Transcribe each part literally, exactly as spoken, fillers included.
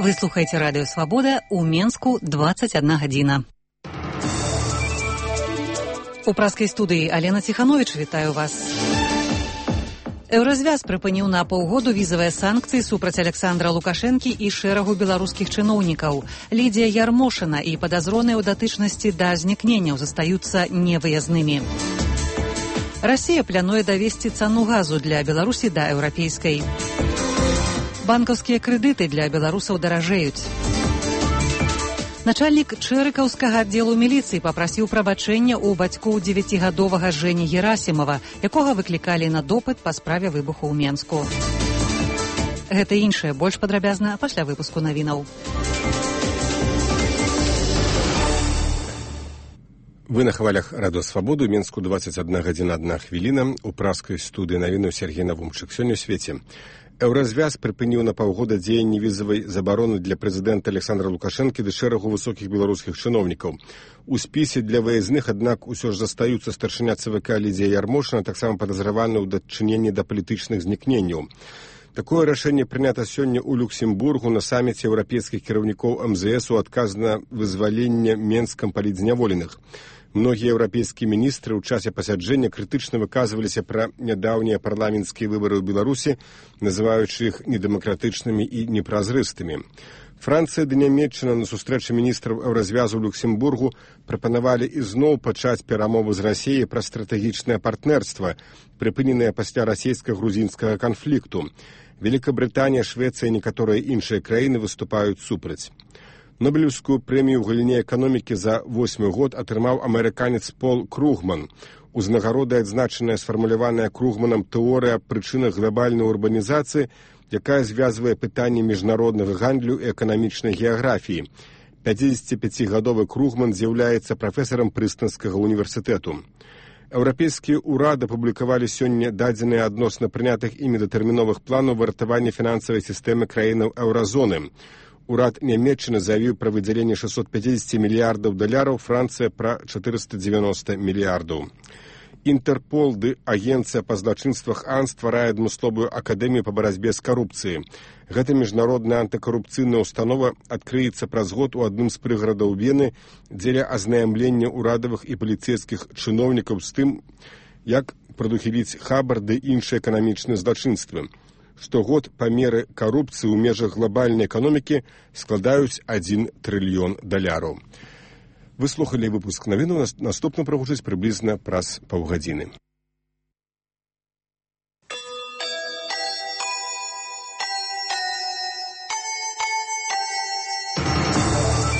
Вы слухаете радио «Свобода», у Менску двадцать одна гадзіна. У праскай студыі Алена Ціхановіч, вітаю вас. Еўразвяз прыпыніў на паўгоду візавыя санкцыі супраць Александра Лукашэнкі і шэрагу беларускіх чыноўнікаў. Лідія Ярмошына і падазроныя ў датычнасці да знікненняў застаюцца невыязнымі. Расія плануе давесці цану газу для Беларусі да еўрапейскай. Банкаўскія крэдыты для беларусаў даражэюць. Начальнік Чэрыкаўскага аддзелу міліцыі папрасіў прабачэння ў бацькоў дзевяцігадовага Жэні Герасімова, якога выклікалі на допыт па справе выбуху ў Менску. Гэта і іншае больш падрабязна пасля выпуску навінаў. Вы на хвалях радио «Свободу», Менску двадцать одна гадзіна одна хвіліна, у праскай студыі навіну Сергей Навумчык. Сёння ў свеце. Еўразвяз прыпыніў на паўгода дзеянні візавай забароны для прэзідэнта Александра Лукашэнкі ды шэрагу высокіх беларускіх чыноўнікаў. У спісе для выязных, аднак, усё ж застаюцца старшыня ЦВК Лідія Ярмошына, таксама падазраваны ў дачыненні да палітычных знікненняў. Такое рашэнне прынята сёння ў Люксембургу на саміце еўрапейскіх кіраўнікоў эм зэ эс у адказ на вызваленне Менскам палітзняволеных. Многія еўрапейскія міністры ў часе пасяджэння крытычна выказваліся пра нядаўнія парламенцкія выбары ў Беларусі, называючы іх недэмакратычнымі і непразрыстымі. Францыя ды Нямецчына на сустрэчы міністраў еўразвязу ў Люксембургу прапанавалі ізноў пачаць перамовы з Расіяй пра стратэгічнае партнерства, прыпыненае пасля расійска-грузінскага канфлікту. Великабрытанія, Швецыя і некаторыя іншыя краіны выступаюць супраць. Нобелевскую прэмію ў галіне эканомікі за восьмы год атрымаў амерыканец Пол Кругман. Узнагарода адзначаная сфармуляваная Кругманам тэорыя аб прычынах глобальнай урбанізацыі, якая звязвае пытанні міжнароднага гандлю і эканамічнай геаграфіі. пяцідзесяціпяцігадовы Кругман з'яўляецца прафесарам Прыстонскага універсітэту. Еўрапейскія ўрады апублікавалі сёння дадзеныя адносна прынятых імі датэрміновых планаў выратавання фінансавай сістэмы краінаў еўразоны. Урад Нямецчыны заявіў пра выдзяленне шэсцьсот пяцьдзесят мільярдаў даляраў, Францыя пра чатырыста дзевяноста мільярдаў. Інтэрпол ды агенцыя па злачынствах АН стварае адмысловую акадэмію па барацьбе з карупцыяй. Гэта міжнародная антыкарупцыйная установа адкрыецца праз год у адным з прыгарадаў Вены дзеля азнаямлення ўрадавых і паліцэйскіх чыноўнікаў з тым, як прадухіліць хабар ды іншыя эканамічныя злачынствы. Штогод памеры карупцыі ў межах глобальнай эканомікі складаюць адзін трыльён даляраў. Вы слухалі выпуск навінаў, наступна прагучыць прыблізна праз паўгадзіны.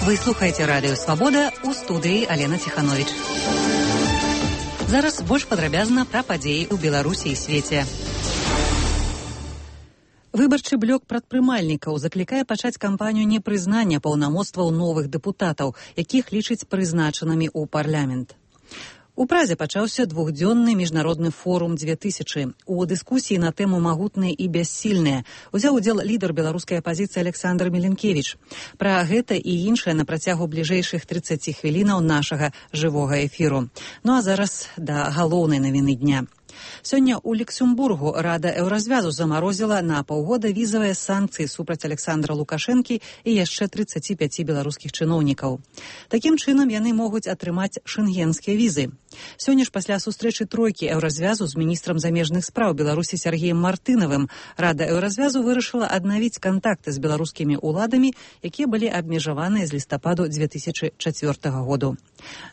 Вы слухаеце радыё «Свобода», у студыі Алена Ціхановіч. Зараз больш падрабязна пра падзеі ў Беларусі і свеце. Выбарчы блок прадпрымальнікаў заклікае пачаць кампанію непрызнання паўнамоцтваў новых дэпутатаў, якіх лічыць прызначанымі ў парламент. У Празе пачаўся двухдзённы міжнародны форум дзве тысячы. У дыскусіі на тэму «Магутныя і бяссільныя» узяў удзел лідар беларускай апазіцыі Александр Міленкевіч. Пра гэта і іншае на працягу бліжэйшых трыццаці хвілінаў нашага жывога эфіру. Ну а зараз да галоўнай навіны дня. Сёння ў Люксембургу Рада Еўразвязу замарозіла на паўгода візавыя санкцыі супраць Александра Лукашэнкі і яшчэ трыццаці пяці беларускіх чыноўнікаў. Такім чынам яны могуць атрымаць шэнгенскія візы. Сёння ж пасля сустрэчы тройкі Еўразвязу з міністрам замежных спраў Беларусі Сергеем Мартынавым Рада Еўразвязу вырашыла аднавіць кантакты з беларускімі ўладамі, якія былі абмежаваныя з лістападу дзве тысячы чацвёртага году.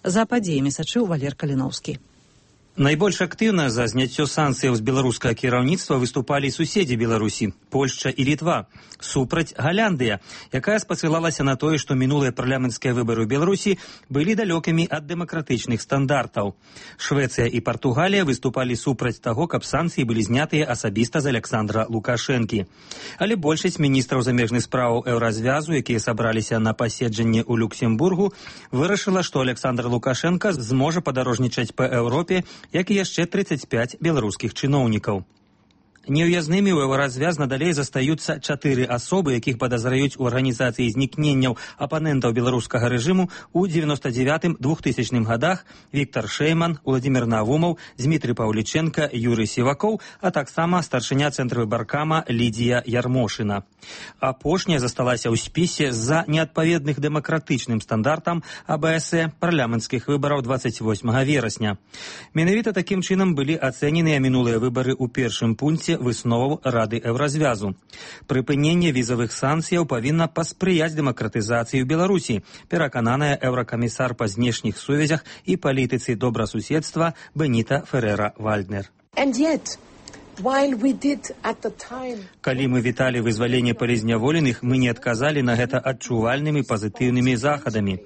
За падзеямі сачыў Валер Каліноўскі. Найбольш актыўна за зняццё санкцыяў з беларускага кіраўніцтва выступалі суседзі Беларусі, Польшча і Літва. Супраць Галяндыя, якая спасылалася на тое, што минулыя парламенцкія выбары ў Беларусі былі далёкімі ад дэмакратычных стандартаў. Швецыя і Партугалія выступалі супраць таго, каб санкцыі былі знятыя асабіста з Александра Лукашэнкі. Але большасць міністраў замежных спраў Еўразвязу, якія сабраліся на паседжанне ў Люксембургу, вырашыла, што Александр Лукашенко зможа падарожнічаць па Еўропе, як і яшчэ трыццаць пяць беларускіх чыноўнікаў. Неўязнымі ў еўразвяз надалей застаюцца чатыры асобы, якіх падазраюць у арганізацыі знікненняў апанентаў беларускага рэжыму ў дзевяноста дзевятым — двухтысячным гадах: Віктор Шэйман, Уладзімір Навумаў, Дзмітрый Паўлічэнка, Юрый Сівакоў, а таксама старшыня цэнтрвыбаркама Лідія Ярмошына. Апошняя засталася ў спісе з-за неадпаведных дэмакратычным стандартам А Бэ Эс Э парламенцкіх выбараў дваццаць восьмага верасня. Менавіта такім чынам былі ацэненыя мінулыя выбары ў першым пункце высноваў Рады Еўразвязу. Прыпыненне візавых санкцыяў павінна паспрыяць дэмакратызацыі ў Беларусі, перакананая еўракамісар па знешніх сувязях і палітыцы добрасуседства Беніта Ферера-Вальднер. Калі мы віталі вызваленне палізняволеных, мы не адказалі на гэта адчувальнымі пазітыўнымі захадамі.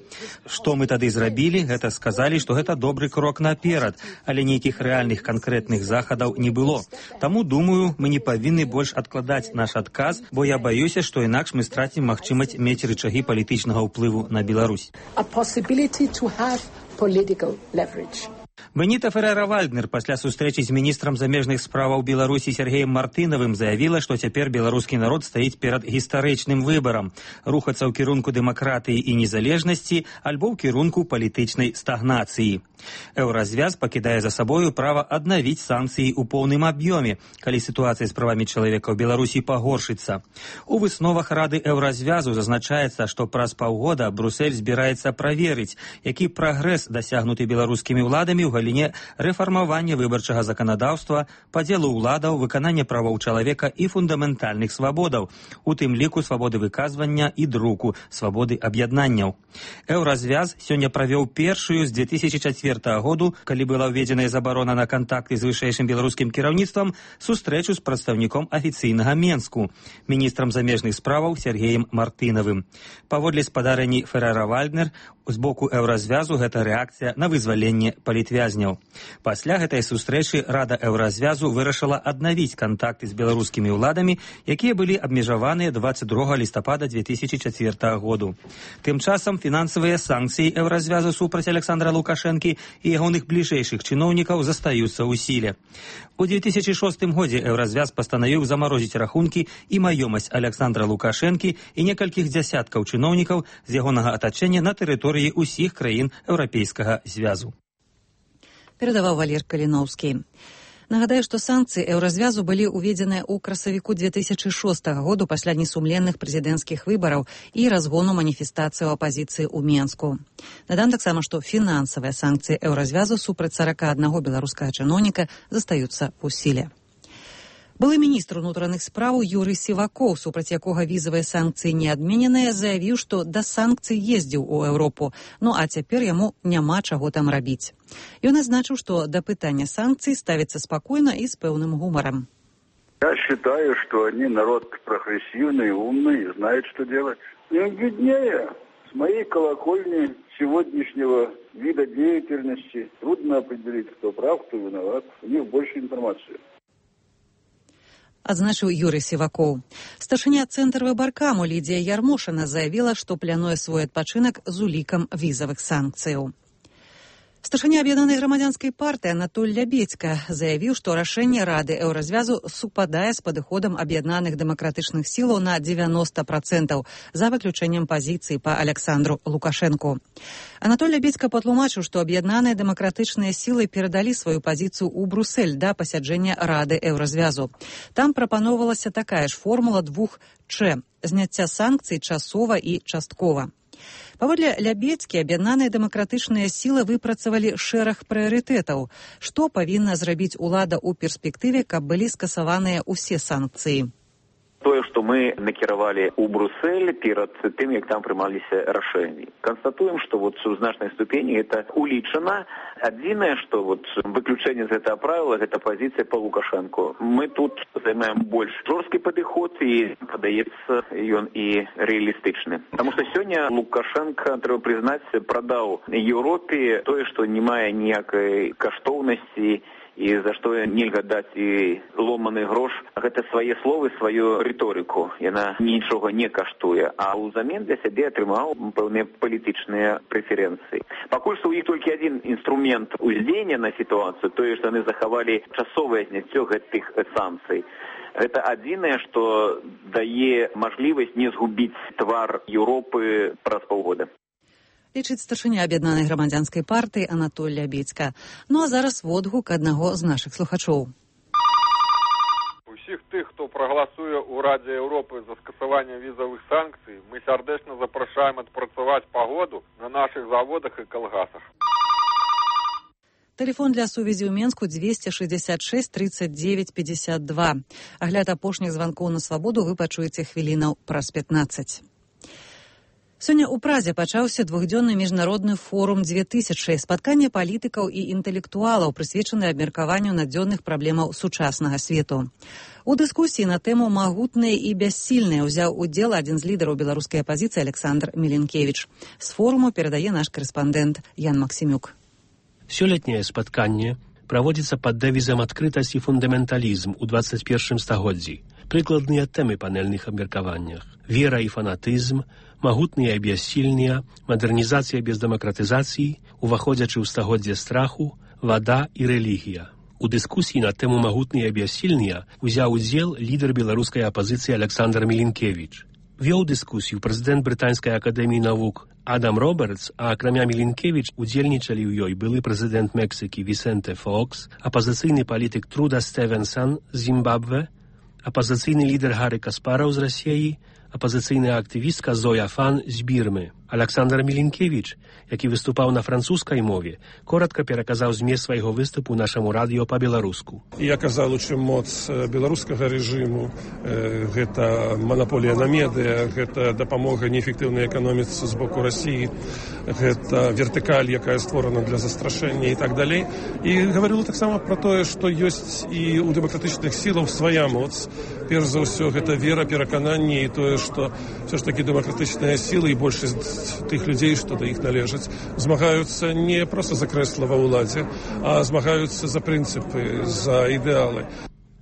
Што мы тады зрабілі, гэта сказалі, што гэта добры крок наперад, але нейкіх рэальных канкрэтных захадаў не было. Таму, думаю, мы не павінны больш адкладаць наш адказ, бо я баюся, што інакш мы страцім магчымасць мець рычагі палітычнага ўплыву на Беларусь. Беніта Ферера-Вальднер пасля сустрэчы з міністрам замежных справаў Беларусі Сергеем Мартынавым заявіла, што цяпер беларускі народ стаіць перад гістарычным выбарам — рухацца ў кірунку дэмакратыі і незалежнасці альбо ў кірунку палітычнай стагнацыі. Еўразвяз пакідае за сабою права аднавіць санкцыі ў поўным аб'ёме, калі сітуацыя з правамі чалавека ў Беларусі пагоршыцца. У высновах Рады Еўразвязу зазначаецца, што праз паўгода Брусэль збіраецца праверыць, які прагрэс дасягнуты беларускімі ўладамі ў галіне рэфармавання выбарчага заканадаўства, падзелу ўладаў, выканання правоў чалавека і фундаментальных свабодаў, у тым ліку свабоды выказвання і друку, свабоды аб'яднанняў. Еўразвяз сёння правёў першую з дзве тысячы чацвёртага году, калі была ўведзеная забарона на кантакты з вышэйшым беларускім кіраўніцтвам, сустрэчу з прадстаўніком афіцыйнага Менску, міністрам замежных справаў Сергеем Мартынавым. Паводле спадарэнні Ферера-Вальднер, з боку Еўразвязу гэта рэакцыя на вызваленне палітвязняў. Пасля гэтай сустрэчы Рада Еўразвязу вырашыла аднавіць кантакты з беларускімі ўладамі, якія былі абмежаваныя дваццаць другога лістапада дзве тысячы чацвёртага году. Тым часам фінансавыя санкцыі Еўразвязу супраць Александра Лукашэнкі і ягоных бліжэйшых чыноўнікаў застаюцца ў сіле. У дзве тысячы шостым годзе Еўразвяз пастанавіў замарозіць рахункі і маёмасць Александра Лукашэнкі і некалькіх дзясяткаў чыноўнікаў з ягонага атачэння на тэрыторыі ўсіх краін Еўрапейскага звязу. Перадаваў Валер Каліноўскі. Нагадаю, што санкцыі Еўразвязу былі ўведзеныя ў красавіку дзве тысячы шостага году пасля несумленных прэзідэнцкіх выбараў і разгону маніфестацыі апазіцыі ў Менску. Дадам таксама, што фінансавыя санкцыі Еўразвязу супраць сарака аднаго беларускага чыноўніка застаюцца ў сіле. Былы міністр унутраных спраў Юрый Сівакоў, супраць якога візавыя санкцыі не адмененыя, заявіў, што да санкцый ездзіў у Еўропу, ну а цяпер яму няма чаго там рабіць. Ён азначыў, што да пытання санкцый ставіцца спакойна і з пэўным гумарам. Я считаю, что они народ прогрессивный, умный и знает, что делать. Им виднее. С моей колокольни сегодняшнего вида деятельности трудно определить, кто прав, кто виноват. У них больше информации. Адзначыў Юрый Сівакоў. Старшыня цэнтрвыбаркаму Лідія Ярмошына заявіла, што плануе свой адпачынак з улікам візавых санкцыяў. Старшыня аб'яднанай грамадзянскай партыі Анатоль Лябедзька заявіў, што рашэнне Рады Еўразвязу супадае з падыходам аб'яднаных дэмакратычных сілаў на дзевяноста працэнтаў, за выключэннем пазіцыі па Александру Лукашэнку. Анатоль Лябедзька патлумачыў, што аб'яднаныя дэмакратычныя сілы перадалі сваю пазіцыю ў Брусэль да пасяджэння Рады Еўразвязу. Там прапаноўвалася такая ж формула двух Ч – зняцця санкцый часова і часткова. Паводле Лябедзькі, аб'яднаныя дэмакратычныя сілы выпрацавалі шэраг прыярытэтаў. Што павінна зрабіць улада ў перспектыве, каб былі скасаваныя ўсе санкцыі? Тое, што мы накіравалі ў Брусэль перад тым, як там прымаліся рашэнні. Канстатуем, што вот у значнай ступені гэта улічана. Адзінае, што вот выключэнне з гэтага правіла, гэта пазіцыя па Лукашэнку. Мы тут займаем больш жорсткі падыход і, падаецца, ён і рэалістычны. Таму што сёння Лукашэнка, трэба прызнаць, прадаў Еўропе тое, што не мае ніякай каштоўнасці і за што нельга даць і ломаны грош. Гэта свае словы, сваю рыторыку. Яна нічога не каштуе, а ўзамен для сябе атрымаў пэўныя палітычныя прэферэнцыі. Пакуль што ў іх толькі адзін інструмент уздзеяння на сітуацыю, тое, што яны захавалі часовае зняццё гэтых санкцый. Гэта адзінае, што дае мажлівасць не згубіць твар Еўропы праз паўгода. Лічыць старшыня аб'яднанай грамадзянскай партыі Анатоль Лябедзька. Ну а зараз водгук аднаго з нашых слухачоў. Усіх тых, хто прагаласуе ў Радзе Еўропы за скасаванне візавых санкцый, мы сярдэчна запрашаем адпрацаваць пагоду на нашых заводах і калгасах. Телефон для сувязі ў Менску двести шестьдесят шесть тридцать девять пятьдесят два. Агляд апошніх званкоў на свабоду вы пачуеце хвілінаў праз пятнаццаць. Сёння ў Празе пачаўся двухдзённы міжнародны форум две тысячы, спатканне палітыкаў і інтэлектуалаў, прысвечанае абмеркаванню надзённых праблемаў сучаснага свету. У дыскусіі на тэму «Магутныя і бяссільныя» узяў удзел адзін з лідараў беларускай апазіцыі Александр Міленкевіч. З форуму перадае наш карэспандэнт Ян Максімюк. Сёлетняе спатканне праводзіцца пад дэвізам «Адкрытасць і фундаменталізм» у двадцать первым стагоддзі. Прыкладныя тэмы панельных абмеркаваннях: вера і фанатызм, магутныя і бяссільныя, мадэрнізацыя без дэмакратызацыі, уваходзячы ў стагоддзе страху, вада і рэлігія. У дыскусіі на тэму магутныя і бяссільныя узяў удзел лідар беларускай апазіцыі Александр Міленкевіч. Вёў дыскусію прэзідэнт Брытанскай акадэміі навук Адам Робертс, а акрамя Міленкевіч удзельнічалі ў ёй былы прэзідэнт Мексікі Вісенте Фокс, апазіцыйны палітык Труда Стевенсон з Зімбабве, апазіцыйны лідар Гары Каспараў з Расіі, апазіцыйная актывістка Зоя Фан з Бірмы. Александр Міленкевіч, які выступаў на французскай мове, коротка пераказаў змест свайго выступу нашаму радыё па-беларуску. Я казаў, чым моц беларускага рэжыму, э, гэта манаполія на медыя, гэта дапамога неэфектыўнай эканоміцы з боку Расіі, гэта вертыкаль, якая створана для застрашэння і так далей. І гаварыла таксама пра тое, што ёсць і ў дэмакратычных сілаў свая моц. Перш за ўсё, гэта вера, перакананне і тое, што все ж такі дэмакратычныя сілы і большасць тых людзей, што да іх належаць, змагаюцца не проста за крэсла ва ўладзе, а змагаюцца за прынцыпы, за ідэалы.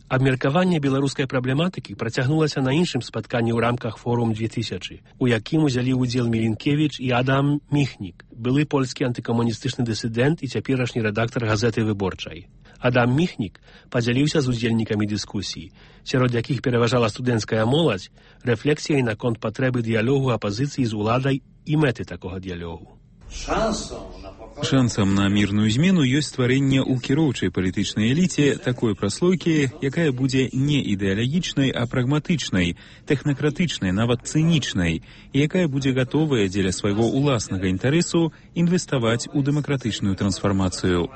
Абмеркаванне беларускай праблематыкі працягнулася на іншым спатканні ў рамках форум две тысячы, у якім узялі ўдзел Міленкевіч і Адам Міхнік, былы польскі антыкамуністычны дысідэнт і цяперашні рэдактар газеты «Выборчай». Адам Міхнік падзяліўся з удзельнікамі дыскусіі, сярод якіх пераважала студэнцкая моладзь, рэфлексіяй наконт патрэбы дыялогу апазіцыі з уладай і мэты такога дыялогу. Шансам на мірную змену ёсць стварэнне ў кіроўчай палітычнай эліце такой праслойкі, якая будзе не ідэалагічнай, а прагматычнай, тэхнакратычнай, нават цынічнай, і якая будзе гатовая дзеля свайго ўласнага інтарэсу інвеставаць у дэмакратычную трансфармацыю.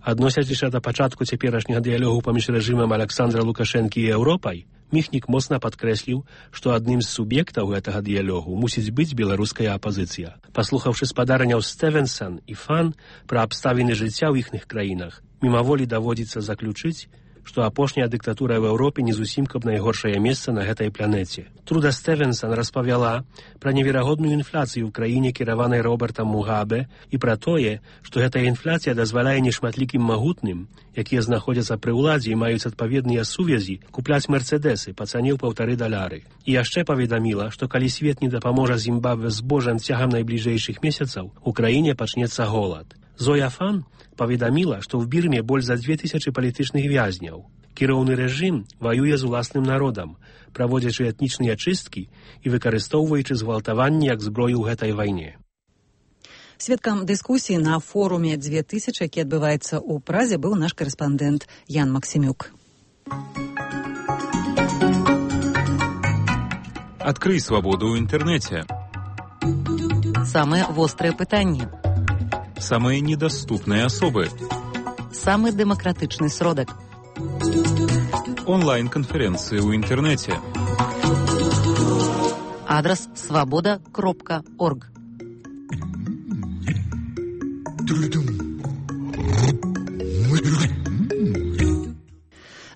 Адносячыся да пачатку цяперашняга дыялогу паміж рэжымам Александра Лукашэнкі і Еўропай, Міхнік моцна падкрэсліў, што адным з суб'ектаў гэтага дыялогу мусіць быць беларуская апазіцыя. Паслухаўшы спадарняў Стевенсон і Фан пра абставіны жыцця ў іхных краінах, мімаволі даводзіцца заключыць, што апошняя дыктатура ў Еўропе не зусім каб найгоршае месца на гэтай планеце. Труда Стевенсон распавяла пра неверагодную інфляцыю ў краіне, кіраванай Робертам Мугабе, і пра тое, што гэтая інфляцыя дазваляе нешматлікім магутным, якія знаходзяцца пры ўладзе і маюць адпаведныя сувязі, купляць мерцэдэсы па цане ў паўтары даляры. І яшчэ паведаміла, што калі свет не дапаможа Зімбабве збожжам цягам найбліжэйшых месяцаў, у краіне пачнецца голад. Зоя Фан паведаміла, што ў Бірме больш за две тысячы палітычных вязняў. Кіроўны рэжым ваюе з уласным народам, праводзячы этнічныя чысткі і выкарыстоўваючы згвалтаванні як зброю ў гэтай вайне. Сведкам дыскусіі на форуме две тысячы, які адбываецца ў Празе, быў наш карэспандэнт Ян Максімюк. Адкрый свабоду ў інтэрнэце. Самыя вострыя пытанні. Самыя недаступныя асобы. Самы дэмакратычны сродак. Онлайн-канферэнцыі ў інтэрнэце. Адрас свабода кропка орг.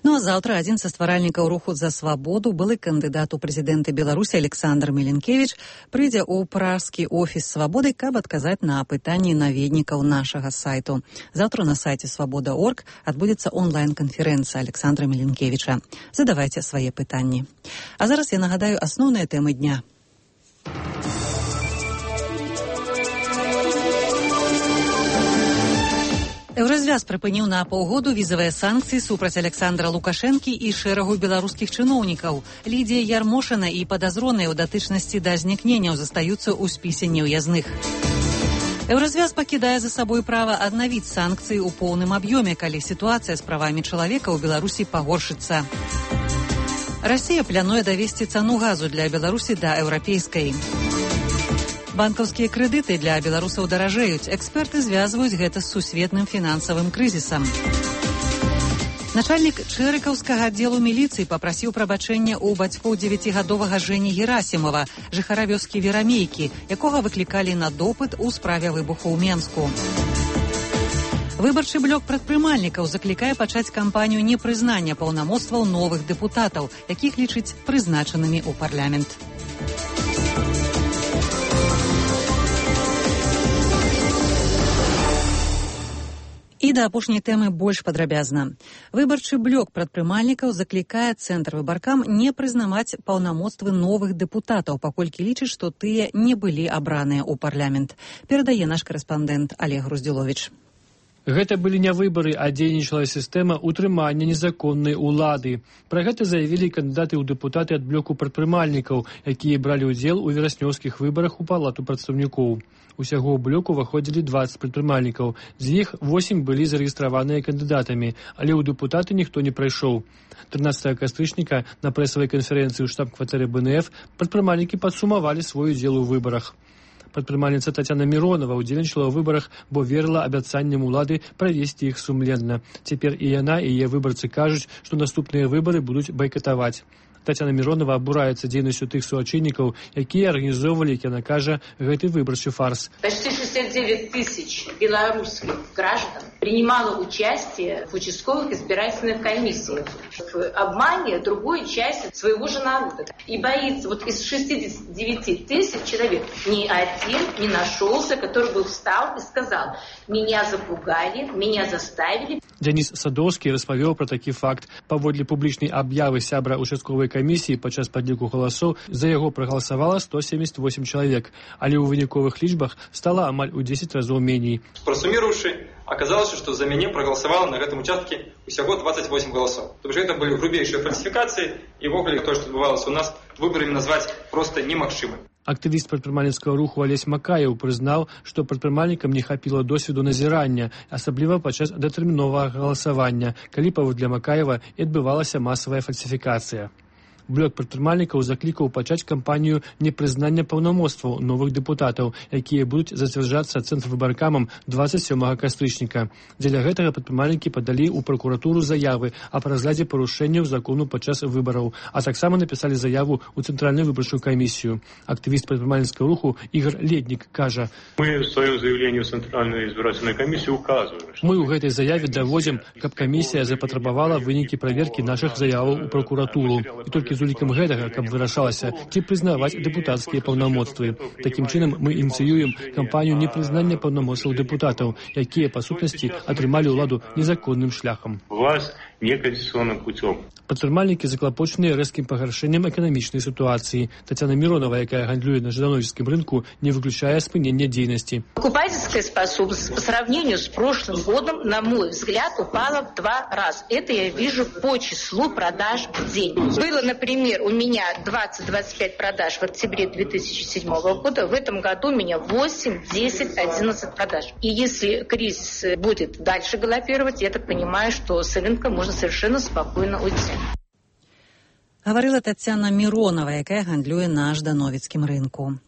Ну а А заўтра адзін са стваральнікаў руху за свабоду, былы кандыдат у прэзідэнты Беларусі Александр Меленкевич, прыйдзе ў пражскі офіс свабоды, каб адказаць на пытанні наведнікаў нашага сайту. Заўтра на сайце свабода точка орг адбудзецца онлайн-канферэнцыя Александра Меленкевича. Задавайце свае пытанні. А зараз я нагадаю асноўныя тэмы дня. Еўразвяз прыпыніў на паўгоду візавыя санкцыі супраць Александра Лукашэнкі і шэрагу беларускіх чыноўнікаў. Лідія Ярмошына і падазроныя ў датычнасці да знікненняў застаюцца ў спісе неўязных. Еўразвяз пакідае за сабой права аднавіць санкцыі ў поўным аб'ёме, калі сітуацыя з правамі чалавека ў Беларусі пагоршыцца. Расія плануе давесці цану газу для Беларусі да еўрапейскай. Банкаўскія крэдыты для беларусаў даражэюць. Эксперты звязваюць гэта з сусветным фінансавым крызісам. Начальнік чэрыкаўскага аддзелу міліцыі папрасіў прабачэння ў бацькоў дзевяцігадовага Жэні Герасімова, жыхара вёскі Верамейкі, якога выклікалі на допыт у справе выбуху ў Менску. Выбарчы блок прадпрымальнікаў заклікае пачаць кампанію непрызнання паўнамоцтваў новых дэпутатаў, якіх лічыць прызначанымі ў парламент. І да апошняй тэмы больш падрабязна. Выбарчы блок прадпрымальнікаў заклікае цэнтр выбаркам не прызнаваць паўнамоцтвы новых дэпутатаў, паколькі лічыць, што тыя не былі абраныя ў парламент. Перадае наш карэспандэнт Олег Груздзіловіч. Гэта былі не выбары, а дзейнічала сістэма утрымання незаконнай улады. Пра гэта заявілі кандыдаты ў дэпутаты ад блоку прадпрымальнікаў, якія бралі ўдзел у вераснёўскіх выбарах у палату прадстаўнікоў. Усяго ў блок уваходзілі дваццаць прадпрымальнікаў. З іх восем былі зарэгістраваныя кандыдатамі, але ў дэпутаты ніхто не прайшоў. трынаццатага кастрычніка на прэсавай канферэнцыі ў штаб-кватэры бэ эн эф прадпрымальнікі падсумавалі свой удзел у выбарах. Прадпрымальніца Тацяна Міронова ўдзельнічала ў выбарах, бо верыла абяцанням улады правесці іх сумленна. Цяпер і яна, і яе выбарцы кажуць, што наступныя выбары будуць байкатаваць. Тацяна Миронова абураецца дзейнасцю тых суачыннікаў, якія арганізоўвалі, як яна кажа, гэты выбарчы фарс. Почти шестьдесят девять тысяч белорусских граждан принимало участие в участковых избирательных комиссиях в обмане другой части своего же народа. И боится, вот из шестидесяти девяти тысяч человек ни один не нашелся, который бы встал и сказал: меня запугали, меня заставили. Денис Садовскі распавёў пра такі факт. Паводле публічнай аб'явы сябра участковай камісіі падчас падліку галасоў за яго прагаласавала сто семьдесят восемь чалавек, але ў выніковых лічбах стала амаль у десять разоў меней. Прасуміруючы, оказалось, што за мяне прагаласавала на гэтым участке усяго двадцать восемь галасоў. То бишь гэта былі грубейшыя фальсіфікацыі, і ввогуле тое, што адбывалася у нас, выбарамі назваць проста немагчыма. Актывіст прадпрымальніцкага руху Алесь Макаеў прызнаў, што прадпрымальнікам не хапіла досведу назірання, асабліва падчас датэрміновага галасавання, калі паводле Макаева і адбывалася масавая фальсіфікацыя. Блок прадпрымальнікаў заклікаў пачаць кампанію непрызнання паўнамоцтваў новых дэпутатаў, якія будуць зацвярджацца цэнтрвыбаркамам двадцать сёмага кастрычніка. Дзеля гэтага прадпрымальнікі падалі ў пракуратуру заявы аб разглядзе парушэнняў закону падчас выбараў, а таксама напісалі заяву ў цэнтральную выбарчую камісію. Актывіст прадпрымальніцкага руху Ігор Леднік кажа: Мы в сваём заявлении в Центральную избирательную комиссию указываем. Мы ў гэтай заяве даводзім, каб камісія запатрабавала вынікі праверкі нашых заяваў у пракуратуру. І толькі з улікам гэтага, каб вырашалася, ці прызнаваць дэпутацкія паўнамоцтвы. Такім чынам мы ініцыюем кампанію непрызнання паўнамоцтваў дэпутатаў, якія па сутнасці атрымалі ўладу незаконным шляхам. Власть неконституционным путем. Прадпрымальнікі заклапочаныя рэзкім пагаршэннем эканамічнай сітуацыі. Тацяна Миронова, якая гандлюе на ждановічскім рынку, не выключае спынення дзейнасці. Покупательская способность по сравнению с прошлым годом, на мой взгляд, упала в два раза. Это я вижу по числу продаж в день. Было, например, у меня двадцать - двадцать пять продаж в октябре две тысячи седьмого года. В этом году у меня восемь, десять, одиннадцать продаж. И если кризис будет дальше галопировать, я так понимаю, что с рынка можно совершенно спокойно уйти. Гаварыла Тацяна Миронова, якая гандлюе на ждановіцкім рынку.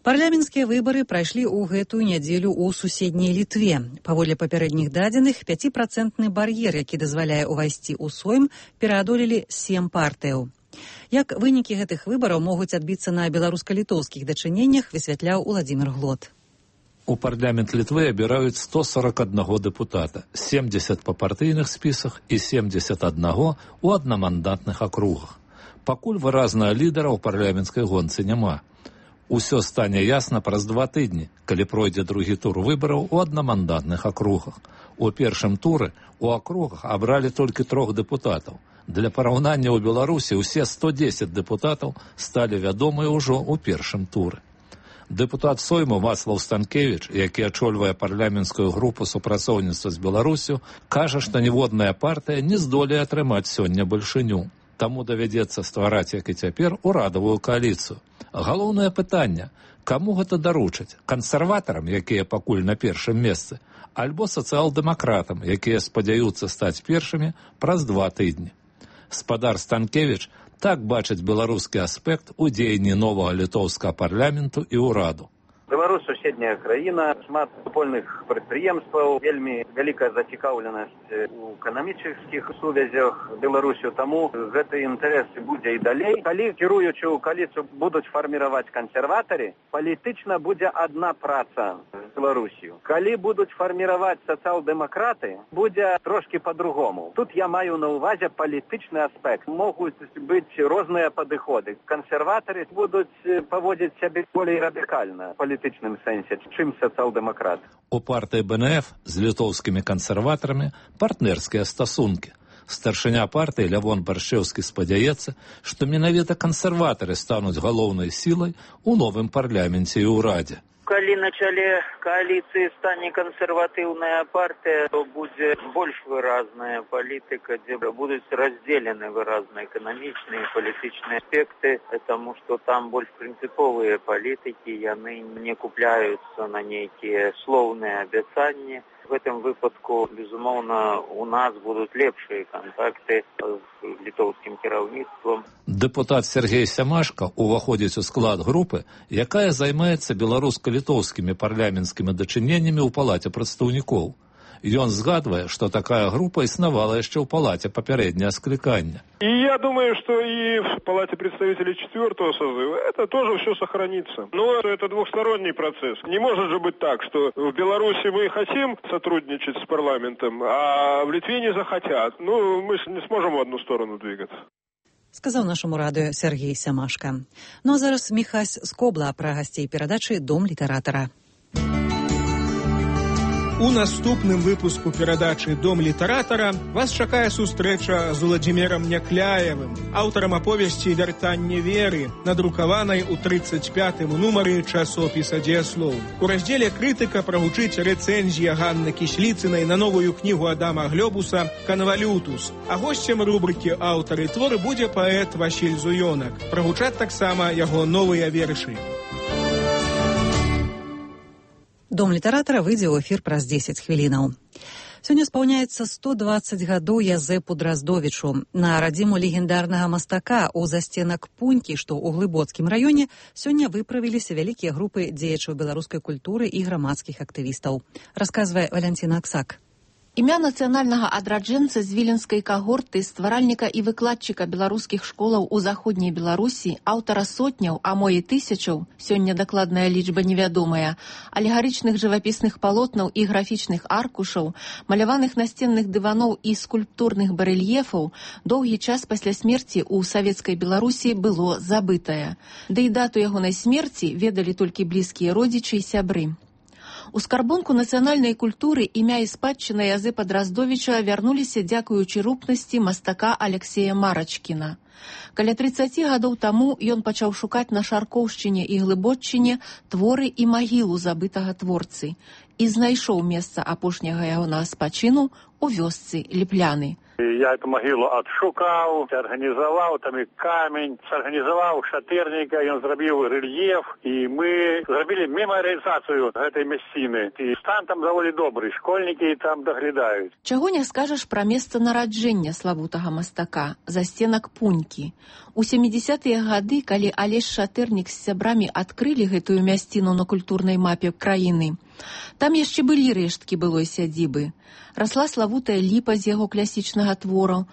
Парламенцкія выбары прайшлі ў гэтую нядзелю ў суседняй Літве. Паводле папярэдніх дадзеных, пяціпрацэнтны бар'ер, які дазваляе ўвайсці ў Сойм, пераадолелі сем партыяў. Як вынікі гэтых выбараў могуць адбіцца на беларуска-літоўскіх дачыненнях, высвятляў Уладзімір Глот. У парламент Літвы абіраюць сто сорок аднаго дэпутата, семьдесят па партыйных спісах і семьдесят аднаго ў аднамандатных акругах. Пакуль выразнага лідара ў парламенцкай гонцы няма. Усё стане ясна праз два тыдні, калі пройдзе другі тур выбараў у аднамандатных акругах. У першым туры у акругах абралі толькі трох дэпутатаў. Для параўнання ў Беларусі ўсе сто дзесяць дэпутатаў сталі вядомыя ўжо ў першым туры. Дэпутат Сойму Вацлаў Станкевіч, які ачольвае парламенцкую групу супрацоўніцтва з Беларусю, кажа, што ніводная партыя не здолее атрымаць сёння бальшыню. Таму давядзецца ствараць, як і цяпер, урадавую кааліцыю. Галоўнае пытанне, каму гэта даручаць? Кансерватарам, якія пакуль на першым месцы, альбо сацыял-дэмакратам, якія спадзяюцца стаць першымі праз два тыдні. Спадар Станкевіч так бачыць беларускі аспект у дзеянні новага літоўскага парламенту і ўраду. Беларусь суседняя краіна, шмат супольных прадпрыемстваў, вельмі вялікая зацікаўленасць у эканамічных сувязях Беларусю, таму гэты інтарэс будзе і далей. Калі кіруючую кааліцыю будуць фарміраваць кансерватары, палітычна будзе адна праца з Беларусью. Калі будуць фарміраваць сацыял-дэмакраты, будзе трошкі па-другому. Тут я маю на ўвазе палітычны аспект. Могуць быць розныя падыходы. Кансерватары будуць паводзіць сябе болей радыкальна, палітычным сэнсе, чым сацыял-дэмакрат. У партыі Бэ Эн Эф з літоўскімі кансерватарамі партнерскія стасункі. Старшыня партыі Лявон Баршчэўскі спадзяецца, што менавіта кансерватары стануць галоўнай сілай у новым парламенце і ўрадзе. Калі на чале кааліцыі стане кансерватыўная партыя, то будзе больш выразная палітыка, дзе будуць раздзелены выразна эканамічныя і палітычныя аспекты, таму што там больш прынцыповыя палітыкі, яны не купляюцца на нейкія слоўныя абяцанні. В гэтым выпадку, безумоўна, у нас будуць лепшыя кантакты з літоўскім кіраўніцтвам. Дэпутат Сергей Сямашка уваходзіць у склад групы, якая займаецца беларуска-літоўскімі парламенцкімі дачыненнямі ў палаце прадстаўнікоў. Ён згадвае, што такая група існавала яшчэ ў палаце папярэдняе скликання. И я думаю, что и в палате представителей четвертого созыва это тоже все сохранится. Но это двухсторонний процесс. Не может же быть так, что в Беларуси мы хотим сотрудничать с парламентом, а в Литве не захотят. Ну, мы не сможем в одну сторону двигаться. Сказаў нашаму радыё Сергей Сямашка. Ну а зараз Міхась Скобла пра гасцей перадачы «Дом літаратара». У наступным выпуску перадачы «Дом літаратара» вас чакае сустрэча з Уладзімірам Някляевым, аўтарам аповесці «Вяртанне веры», надрукаванай у тридцать пятым нумары часопіса «Дзеяслоў». У раздзеле «Крытыка» прагучыць рэцэнзія Ганны Кісліцынай на новую кнігу Адама Глёбуса «Канвалютус». А госцем рубрыкі «Аўтары творы» будзе паэт Васіль Зуёнак. Прагучаць таксама яго новыя вершы. Дом літаратара выйдзе ў эфір праз дзесяць хвілінаў. Сёння спаўняецца сто дваццаць гадоў Язэпу Драздовічу. На радзіму легендарнага мастака ў застенак Пунькі, што ў Глыбоцкім раёне, сёння выправіліся вялікія групы дзеячаў беларускай культуры і грамадскіх актывістаў. Расказвае Валянціна Аксак. Імя нацыянальнага адраджэнца з віленскай кагорты, стваральніка і выкладчыка беларускіх школаў у заходняй Беларусі, аўтара сотняў, а мо і тысячаў, сёння дакладная лічба невядомая, алегарычных жывапісных палотнаў і графічных аркушаў, маляваных насценных дываноў і скульптурных барэльефаў, доўгі час пасля смерці ў савецкай Беларусі было забытае. Да і дату ягонай смерці ведалі толькі блізкія родзічы і сябры. У скарбонку нацыянальнай культуры імя і спадчына Язэпа Драздовіча вярнуліся дзякуючы рупнасці мастака Алексея Марачкіна. Каля трыццаці гадоў таму ён пачаў шукаць на Шаркоўшчыне і Глыбоччыне творы і магілу забытага творцы і знайшоў месца апошняга ягонага спачыну у вёсцы Ліпляны. Я эту могилу отшукал, организовал там и камень, сорганизовал шатырника, и он зробил рельеф, и мы зробили мемориализацию этой месцины. И стан там довольно добрый, школьники там доглядают. Чаго не скажаш пра месца нараджэння славутага мастака, застенак Пунькі. У сямідзесятыя гады, калі Алесь Шатырнік з сябрамі адкрылі гэтую мясціну на культурнай мапе краіны, там яшчэ былі рэшткі былой сядзібы. Расла славутая ліпа з яго класічнага твору,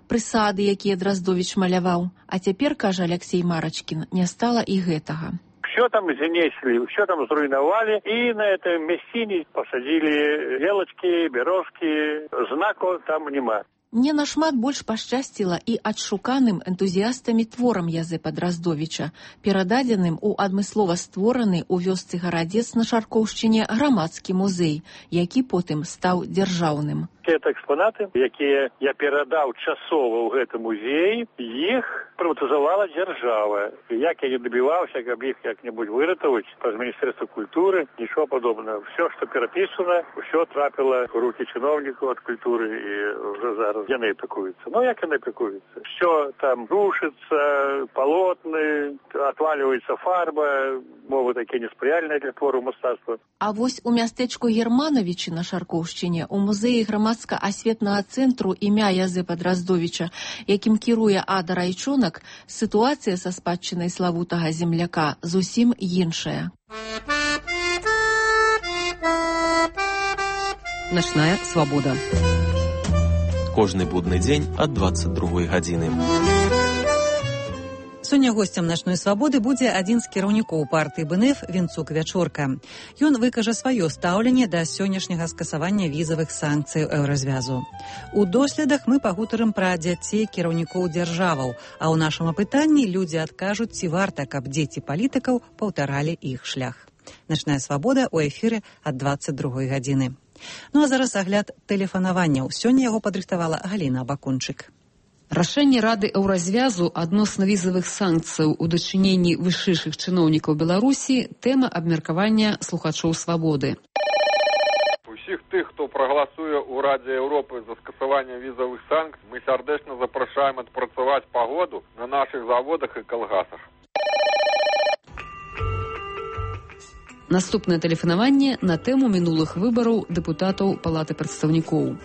прысады, якія Драздовіч маляваў. А цяпер, кажа Алексей Марачкін, не стала і гэтага. К Все там занесли, все там зруйновали, и на этой мясцине посадили елочки, березки, знаку там нема. Не нашмат больш пашчасціла і адшуканым энтузіястамі творам Язэпа Драздовіча, перададзеным у адмыслова створаны ў вёсцы Гарадзец на Шаркоўшчыне грамадскі музей, які потым стаў дзяржаўным. Это экспонаты, якія я перадаў часова ў гэты музей, іх прыватызавала дзяржава. Як я не дабіваўся, каб іх як-небудзь выратаваць праз Міністэрства культуры, нічого падобнага. Все, што перапісана, ўсё трапіла ў рукі чыноўнікаў ад культуры і ўжо зараз яны апекуюцца. Ну, як яны апекуюцца? Все там рушыцца, палотны, отваливаецца фарба, мовы такія неспрыяльныя для твору мастацтва. А вось у мястэчку Германовичы на Шаркоўшчыне у музеі грамадска-асветнага цэнтру імя Язэпа Драздовіча, якім кіруе Ада Райчонак, сітуацыя са спадчынай славутага земляка зусім іншая. Начная свабода. Кожны будны дзень ад дваццаць другой гадзіны. Сёння госцем начной свабоды будзе адзін з кіраўнікоў партыі БНФ Вінцук Вячорка. Ён выкажа сваё стаўленне да сённяшняга скасавання візавых санкцый еўразвязу. У доследах мы пагутарым пра дзяцей кіраўнікоў дзяржаваў, а ў нашым апытанні людзі адкажуць, ці варта, каб дзеці палітыкаў паўтаралі іх шлях. Начная свабода ў эфіры ад дваццаць другой гадзіны. Ну а зараз агляд тэлефанаванняў. Сёння яго падрыхтавала Галіна Бакунчык. Рашэнне Рады еўразвязу адносна візавых санкцыяў у дачыненні вышэйшых чыноўнікаў Беларусі – тэма абмеркавання слухачоў свабоды. Усіх тых, хто прагаласуе ў Радзе Еўропы за скасаванне візавых санкцый, мы сардэчна запрашаем адпрацаваць пагоду на нашых заводах і калгасах. Наступнае тэлефанаванне на тэму мінулых выбараў дэпутатаў Палаты прадстаўнікоў.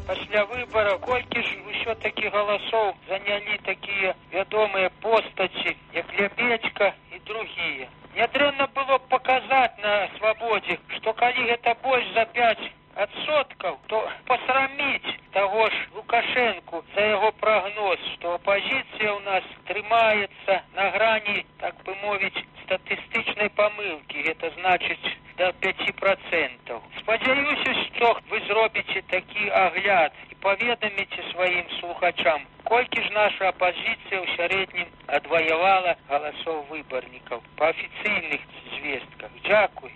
Пасля выбара колькі ж ўсё-такі галасоў занялі такія вядомыя постаці, як Лябедзька і другія. Нядрэнна было б паказаць на свабодзе, што калі гэта больш за пяць адсоткаў, то пасраміць таго ж Лукашэнку за яго прагноз, што апазіцыя ў нас трымаецца на грані, так бы мовіць, статыстычнай памылкі, гэта значыць да пяці працэнтаў. Спадзяюся, што вы зробіце такі агляд і паведаміце сваім слухачам, колькі ж наша апазіцыя ў сярэднім адваявала галасоў выбарнікаў па афіцыйных звестках. Дзякуй.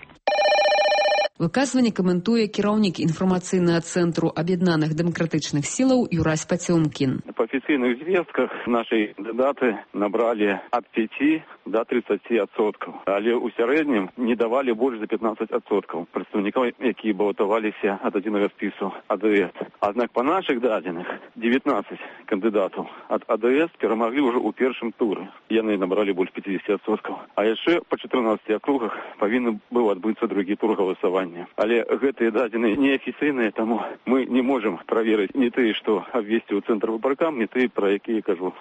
Выказванне каментуе кіраўнік інфармацыйнага цэнтру аб'яднаных дэмакратычных сілаў Юрась Пацёмкін. По официальных звестках наши кандидаты набрали от пяти до тридцати отсотков. Але у сярэднім не давали больше за пятнадцать отсотков представников, які балотаваліся от адзінага спісу АДС. Однако по наших дадзеных девятнадцать кандидатов от АДС перамаглі уже у першым туры. Яны набрали больше пятидесяти отсотков. А яшчэ по четырнадцати округах павінны быў адбыцца другі тур галасавання. Але гэтыя дадзеныя неафіцыйныя, таму мы не можем праверыць не тыя, што абвесці ў цэнтр выбаркам, не тыя, пра якія кажу.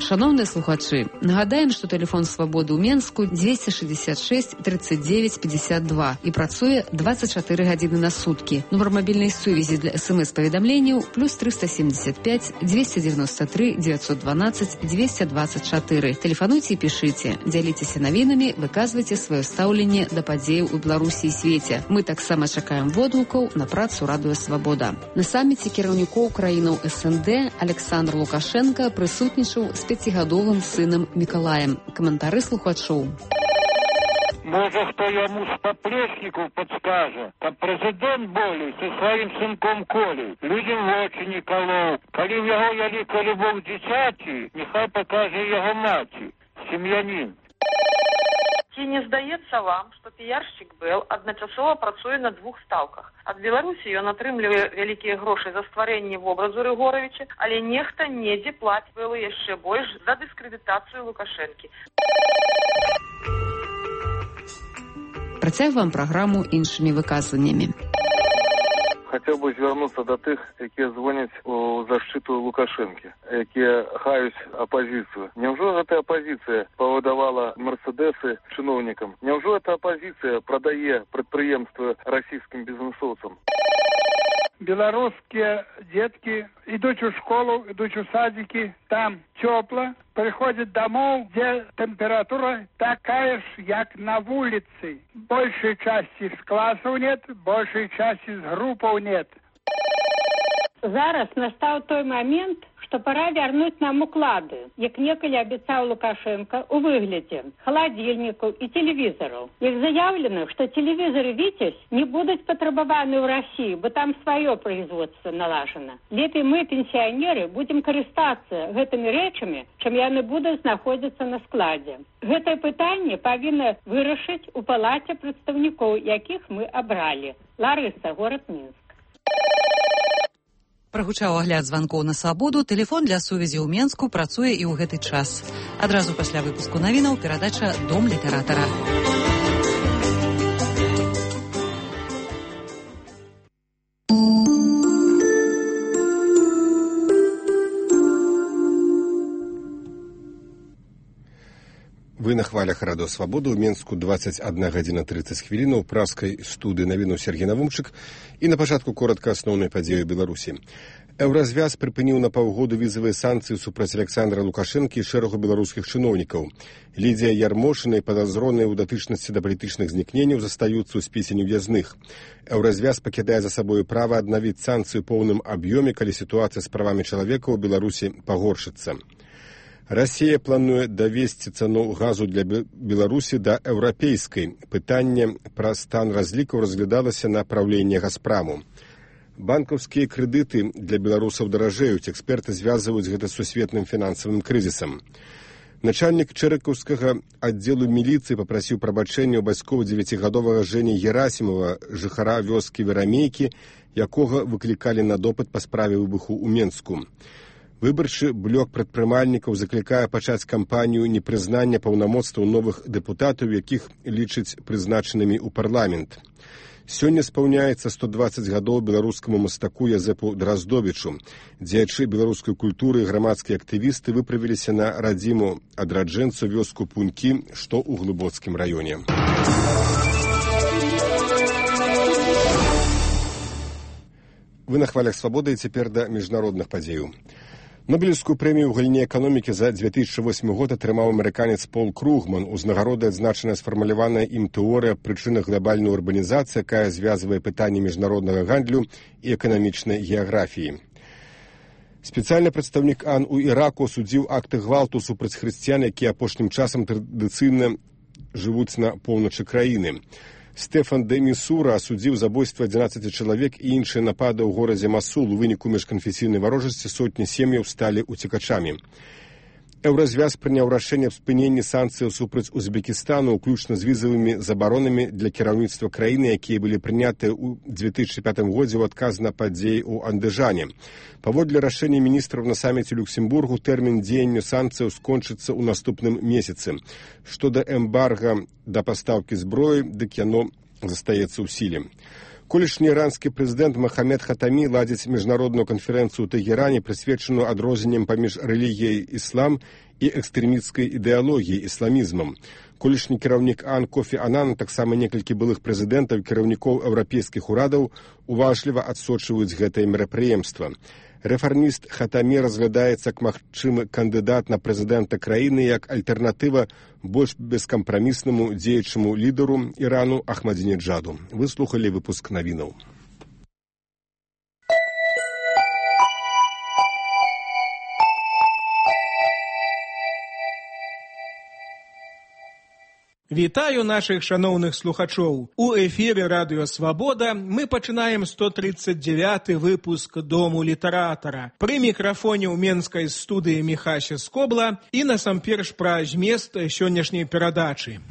Шановныя слухачы, нагадаем, што тэлефон свабоды ў Менску двести шестьдесят шесть тридцать девять пятьдесят два і працуе двадцать чатыры гадзіны на суткі. Нумар мабільнай сувязі для смс-паведамленняў плюс триста семьдесят пять двести девяносто три девятьсот двенадцать двести двадцать четыре. Тэлефануйце і пішыце, дзяліцеся навінамі, выказвайце сваё стаўленне да падзеяў у Беларусі і свеце. Мы таксама чакаем водгукаў на працу Радыё Свабода. На саміце кіраўнікоў краінаў СНД Александр Лукашенко прысутнічаў з пяцігадовым сынам Мікалаем. Каментары слухачоў. Можа, хто яму з паплечнікаў падскажа, каб прэзідэнт болей са сваім сынком Колей людзям вочы не калоў. Калі ў яго вялікая любоў дзіцяці, няхай пакажа яго маці, сем'янін. Ці не здаецца вам, што піяршчык Бэл адначасова працуе на двух стаўках? Ад Беларусі ён атрымлівае вялікія грошы за стварэнне вобразу Рыгоравіча, але нехта недзе плаціць Бэлу яшчэ больш за дыскрэдытацыю Лукашэнкі. Працягваем праграму іншымі выказваннямі. Хотел бы звернуцца до тых, якія звоняць у защиту Лукашэнкі, якія хаюць апозіцыю. Няўжо гэтая апозіцыя павыдавала мерседесы чыноўнікам? Няўжо эта апозіцыя прадае прадпрыемствы расійскім бізнесоўцам? белорусские детки идут в школу, идут в садики, там тепло, приходят домой, где температура такая же, как на улице. Большей части с классов нет, большей части с группов нет. Зараз настал той момент, что пора вернуть нам уклады, як некалі обещал Лукашенко, у выгляде холодильников и телевизоров. Их заявлено, что телевизоры «Витязь» не будут потребованы в России, бо там свое производство налажено. Лепей мы, пенсионеры, будем користаться гэтыми речами, чем яны будут находиться на складе. Гэтае пытанне павінна вырашыць у палаце прадстаўнікоў, якіх мы абралі. Ларыса, город Минск. Прагучаў агляд званкоў на свабоду, тэлефон для сувязі ў Менску працуе і ў гэты час. Адразу пасля выпуску навінаў перадача «Дом літаратара». Вы на хвалях радыё «Свабода» ў Менску двадцать одна гадзіна тридцать хвілінаў, у праскай студыі навіну Сергей Навумчык і на пачатку коротка асноўнай падзеі Беларусі. Еўразвяз прыпыніў на паўгоду візавыя санкцыі супраць Александра Лукашэнкі і шэрагу беларускіх чыноўнікаў. Лідія Ярмошына і падазроныя ў датычнасці да палітычных знікненняў застаюцца ў спісе нев'язных. Еўразвяз пакідае за сабою права аднавіць санкцыі ў поўным аб'ёме, калі сітуацыя з правамі чалавека ў Беларусі пагоршыцца. Расія плануе давесці цану газу для Беларусі да еўрапейскай. Пытанне пра стан разлікаў разглядалася на праўленні Газпраму. Банкаўскія крэдыты для беларусаў даражэюць. Эксперты звязваюць гэта з сусветным фінансавым крызісам. Начальнік чэрыкаўскага аддзелу міліцыі папрасіў прабачэння ў бацькоў дзевяцігадовага Жэні Герасімова, жыхара вёскі Верамейкі, якога выклікалі на допыт па справе выбуху ў Менску. Выбарчы блок прадпрымальнікаў заклікае пачаць кампанію непрызнання паўнамоцтваў новых дэпутатаў, якіх лічыць прызначанымі ў парламент. Сёння спаўняецца сто дваццаць гадоў беларускаму мастаку Язэпу Драздовічу. Дзеячы беларускай культуры і грамадскія актывісты выправіліся на радзіму адраджэнцу вёску Пунькі, што ў Глыбоцкім раёне. Вы на хвалях «Свабоды» і цяпер да міжнародных падзеяў. Нобелевскую прэмію ў галіне эканомікі за две тысячи восьмы год атрымаў амерыканец Пол Кругман. Узнагародай адзначаная сфармуляваная ім тэорыя прычынах глобальнай урбанізацыі, якая звязвае пытанні міжнароднага гандлю і эканамічнай геаграфіі. Спецыяльны прадстаўнік АН у Іраку асудзіў акты гвалту супраць хрысціян, якія апошнім часам традыцыйна жывуць на поўначы краіны. Стэфан де Місура асудзіў забойства адзінаццаці чалавек і іншыя напады ў горадзе Масул. У выніку міжканфесійнай варожасці сотні сем'яў сталі уцекачамі. Еўразвяз прыняў рашэнне аб спыненні санкцыяў супраць Узбекістану, уключна з візавымі забаронамі для кіраўніцтва краіны, якія былі прынятыя ў две тысячи пятым годзе ў адказ на падзеі ў Андыжане. Паводле рашэння міністраў на саміце Люксембургу тэрмін дзеяння санкцыяў скончыцца ў наступным месяцы. Што да эмбарга да пастаўкі зброі, дык яно застаецца ў сіле. Колішні іранскі прэзідэнт Махамед Хатамі ладзіць міжнародную канферэнцыю ў Тэгеране, прысвечаную адрозненнем паміж рэлігіяй іслам і экстрэмісцкай ідэалогіяй ісламізмам. Колішні кіраўнік АН Кофі Анан, таксама некалькі былых прэзідэнтаў і кіраўнікоў еўрапейскіх урадаў уважліва адсочваюць гэтае мерапрыемства. Рэфарміст Хатамі разглядаецца як магчымы кандыдат на прэзідэнта краіны як альтэрнатыва больш бескампраміснаму дзеячаму лідару Ірану Ахмадзінеджаду. Вы слухалі выпуск навінаў. Вітаю нашых шаноўных слухачоў. У эфіры радыё «Свабода» мы пачынаем сто тридцать девяты выпуск «Дому літаратара». Пры мікрафоне ў менскай студыі Міхася Скобла і насамперш пра змест сённяшняй перадачы.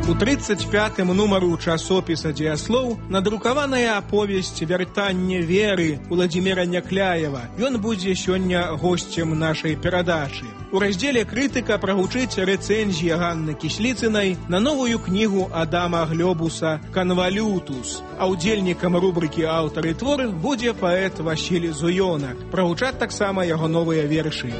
У тридцать пятым нумару часопіса «Дзеяслоў» надрукаваная аповесць «Вяртанне веры» Уладзіміра Някляева. Ён будзе сёння госцем нашай перадачы. У раздзеле «Крытыка» прагучыць рэцэнзія Ганны Кісліцынай на новую кнігу Адама Глёбуса «Канвалютус». А удзельнікам рубрыкі «Аўтар і твор» будзе паэт Васіль Зуёнак. Прагучаць таксама яго новыя вершы.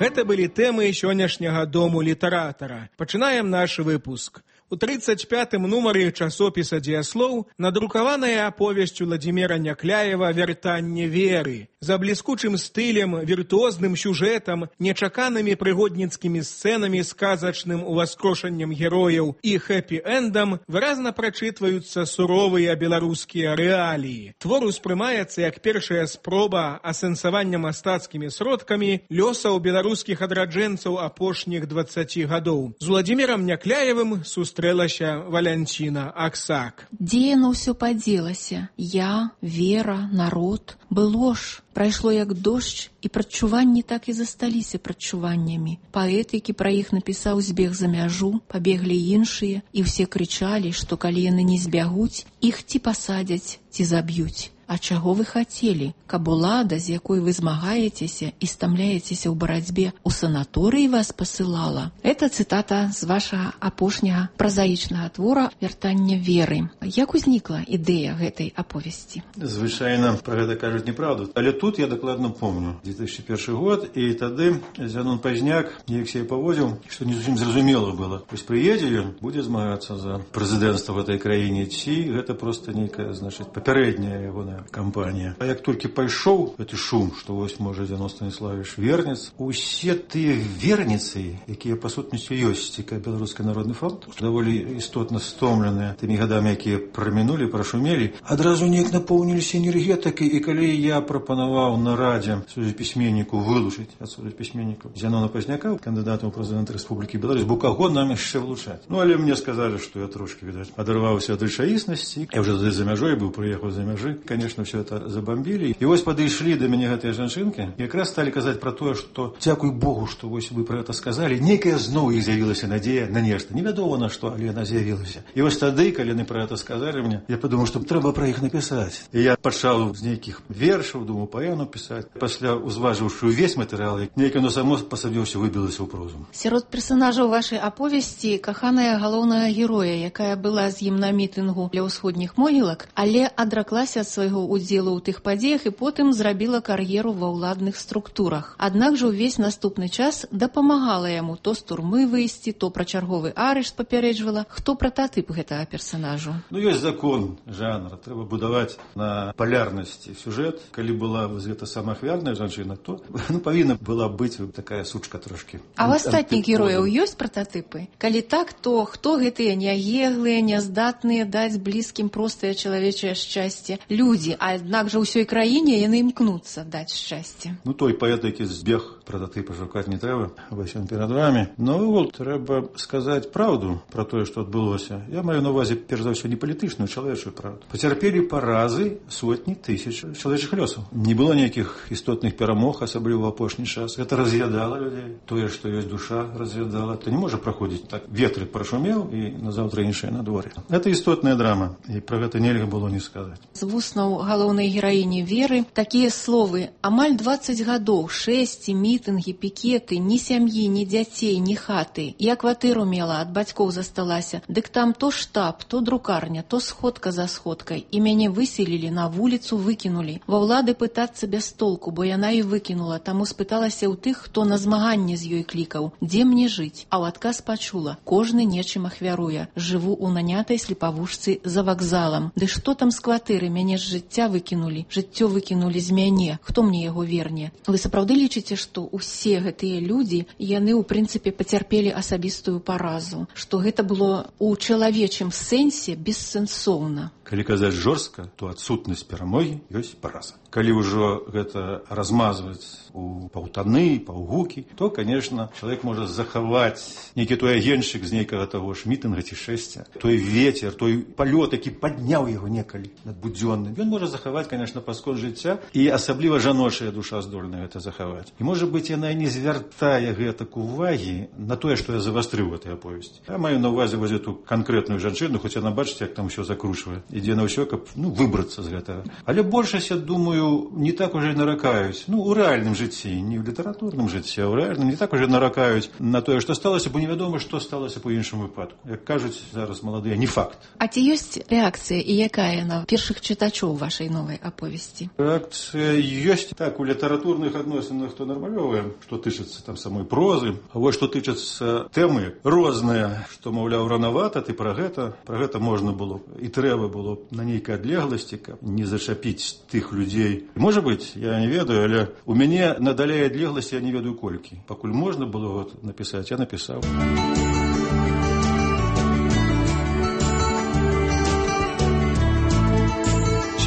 Гэта былі тэмы сённяшняга дому літаратара. Пачынаем наш выпуск. У тридцать пятым нумары часопіса «Дзеяслоў» надрукаваная аповесць Уладзіміра Някляева «Вяртанне веры». За бліскучым стылем, віртуозным сюжэтам, нечаканымі прыгодніцкімі сцэнамі, сказачным уваскрошаннем герояў і хэпі-эндам выразна прачытваюцца суровыя беларускія рэаліі. Твор успрымаецца як першая спроба асэнсавання мастацкімі сродкамі лёсаў беларускіх адраджэнцаў апошніх дваццаці гадоў. З Уладзімірам Някляевым сустрэлася Валянціна Аксак. Дзе яно ўсё падзелася? Я, вера, народ. Было ж. Прайшло як дождж, і прадчуванні так і засталіся прадчуваннямі. Паэт, які пра іх напісаў, збег за мяжу, пабеглі іншыя, і ўсе крычалі, што калі яны не збягуць, іх ці пасадзяць, ці заб'юць. А чаго вы хацелі? Каб улада, з якой вы змагаецеся і стамляецеся ў барацьбе, у санаторыі вас пасылала? Это цытата з вашага апошняга празаічнага твора «Вяртанне веры». Як узнікла ідэя гэтай аповесці? Звычайна пра гэта кажуць неправду. Але тут я дакладна помню. две тысячи первый год, і тады Зянон Пазняк неяк сябе паводзіў, што не зусім зразумела было. Вось прыедзе ён, будзе змагацца за прэзідэнцтва в этой краіне, ці гэта проста нейкая, значыць, папярэдняя ягоная кампанія. А як толькі пайшоў гэты шум, што вось можа Зянон Станіславович вернец, усе тыя верніцы, якія па сутнасці ёсць, цікавы Беларускі народны фронт, даволі істотна стомленыя тымі гадамі, якія прамінулі, прашумелі, адразу неяк напоўніліся энергетыкай. І калі я прапанаваў на радзе сувязь-пісьменніку вылучыць ад сувязь-пісьменнікаў Зянона Пазняка, кандыдатам у прэзідэнты Рэспублікі Беларусь, бо каго нам яшчэ вылучаць? Ну, але мне сказалі, што я трошки, відаць, адарваўся ад рэчаіснасці. Я ўжо за мяжой быў, прыехаў за мяжы. Конечно, все это забомбили. И вось подошли до меня гэтыя жанчынки, и как раз стали казаць про то, что дзякуй Богу, что вось вы про это сказали. Некая зноў іх з'явілася надея на нешта. Невядома на что, але она з'явілася. И вось тады, калі яны про это сказали мне, я подумал, что трэба про іх написать. И я пачаў з нейкіх вершаў, думаю, паэну писать. Пасля узважыўшы увесь матэрыял, нейкае оно само па сабе ўсё выбілася ў прозу. Сярод персонажаў вашай аповесці каханая галоўнага героя, якая была з ім на мітынгу для ўсходніх могілак, але адраклася ад свайго удзелу ў тых падзеях і потым зрабіла кар'еру ва ўладных структурах. Аднак жа ўвесь наступны час дапамагала яму то з турмы выйсці, то пра чарговы арышт папярэджвала. Хто прататып гэтага персонажу? Ну, ёсць закон жанра. Трэба будаваць на палярнасці сюжэт. Калі была гэта самаахвярная жанчына, то ну, павінна была быць такая сучка трошки. А ў астатніх герояў ёсць прататыпы? Калі так, то хто гэтыя няеглыя, няздатныя даць блізкім простае чалавечае шчасце людзі, а аднак жа ўсёй краіне яны імкнуцца даць шчасце? Ну, той паэт, які збег, прататыпа шукаць не трэба, вось ён перад вами. Ну, трэба сказаць праўду пра тое, што адбылося. Я маю на увазе, перш за ўсё, не палітычную, чалавечую правду. Пацярпелі паразы сотні тысяч чалавечых лёсаў. Не было ніякіх істотных перамог, асабліва ў апошні час. Гэта раз'ядала людзей. Тое, што ёсць душа, раз'ядала. То не можа праходзіць так. Ветры прашумеў, і назаўтра іншае надвор'е. Гэта істотная драма, і пра гэта нельга было не сказаць. З вуснаў галоўнай гераіні Веры такія словы: амаль дваццаць гадоў, шэсці, мітынгі, пікеты, ні сям'і, ні дзяцей, ні хаты. Я кватэру мела, ад бацькоў засталася. Дык там то штаб, то друкарня, то сходка за сходкай. І мяне выселілі, на вуліцу выкінулі. Ва ўлады пытацца без толку, бо яна і выкінула. Таму спыталася ў тых, хто на змаганне з ёй клікаў: дзе мне жыць? А ў адказ пачула: кожны нечым ахвяруе. Жыву ў нанятай слепавушцы за вакзалам. Ды што там з кватэры? Мяне з жыцця выкінулі. Жыццё выкінулі з мяне. Хто мне яго верне? Вы сапраўды лічыце, што ўсе гэтыя людзі, яны ў прынцыпе пацярпелі асабістую паразу, што гэта было ў чалавечым сэнсе бессэнсоўна? Калі казаць жорстка, то адсутнасць перамогі ёсць параза. Калі ўжо гэта размазваць у паўтаны, паўгукі, то, конечно, чалавек можа захаваць нейкі той агеньчык з нейкага таго ж мітынга ці шэсця, той ветер, той палёт, які падняў яго некалі над будзённым. Ён можа захаваць, конечно, паскон жыцця, і асабліва жаночая душа здольна гэта захаваць. І, можа быць, яна не звяртае гэтак увагі на тое, што я завастрыў гэтай аповесці. Я маю на ўвазе вось эту канкрэтную жанчыну, хоць яна, бачыце, як там усё закручвае. ідзе на ўсё, каб ну, выбрацца з гэтага. Але большасць, я думаю, не так уже наракаюць. Ну, у рэальным жыцці, не ў літаратурным жыцці, а ў рэальным не так уже наракаюць на тое, што сталася, бо невядома, што сталася па іншым выпадку. Як кажуць зараз маладыя, не факт. А ці ёсць рэакцыя і якая на першых чытачоў вашай новай аповесці? Рэакцыя ёсць. Так, у літаратурных адносінах то нармалёвая, што тычыцца там самой прозы, а вось што тычыцца тэмы розныя, што, маўляў, ранавата, ты пра гэта, пра гэта можна было і трэба было на нейкай адлегласці, каб не зачапіць тых людзей. Можа быць, я не ведаю, але у мяне надалей адлегласці я не ведаю колькі. Пакуль можна было вот напісаць, я напісаў.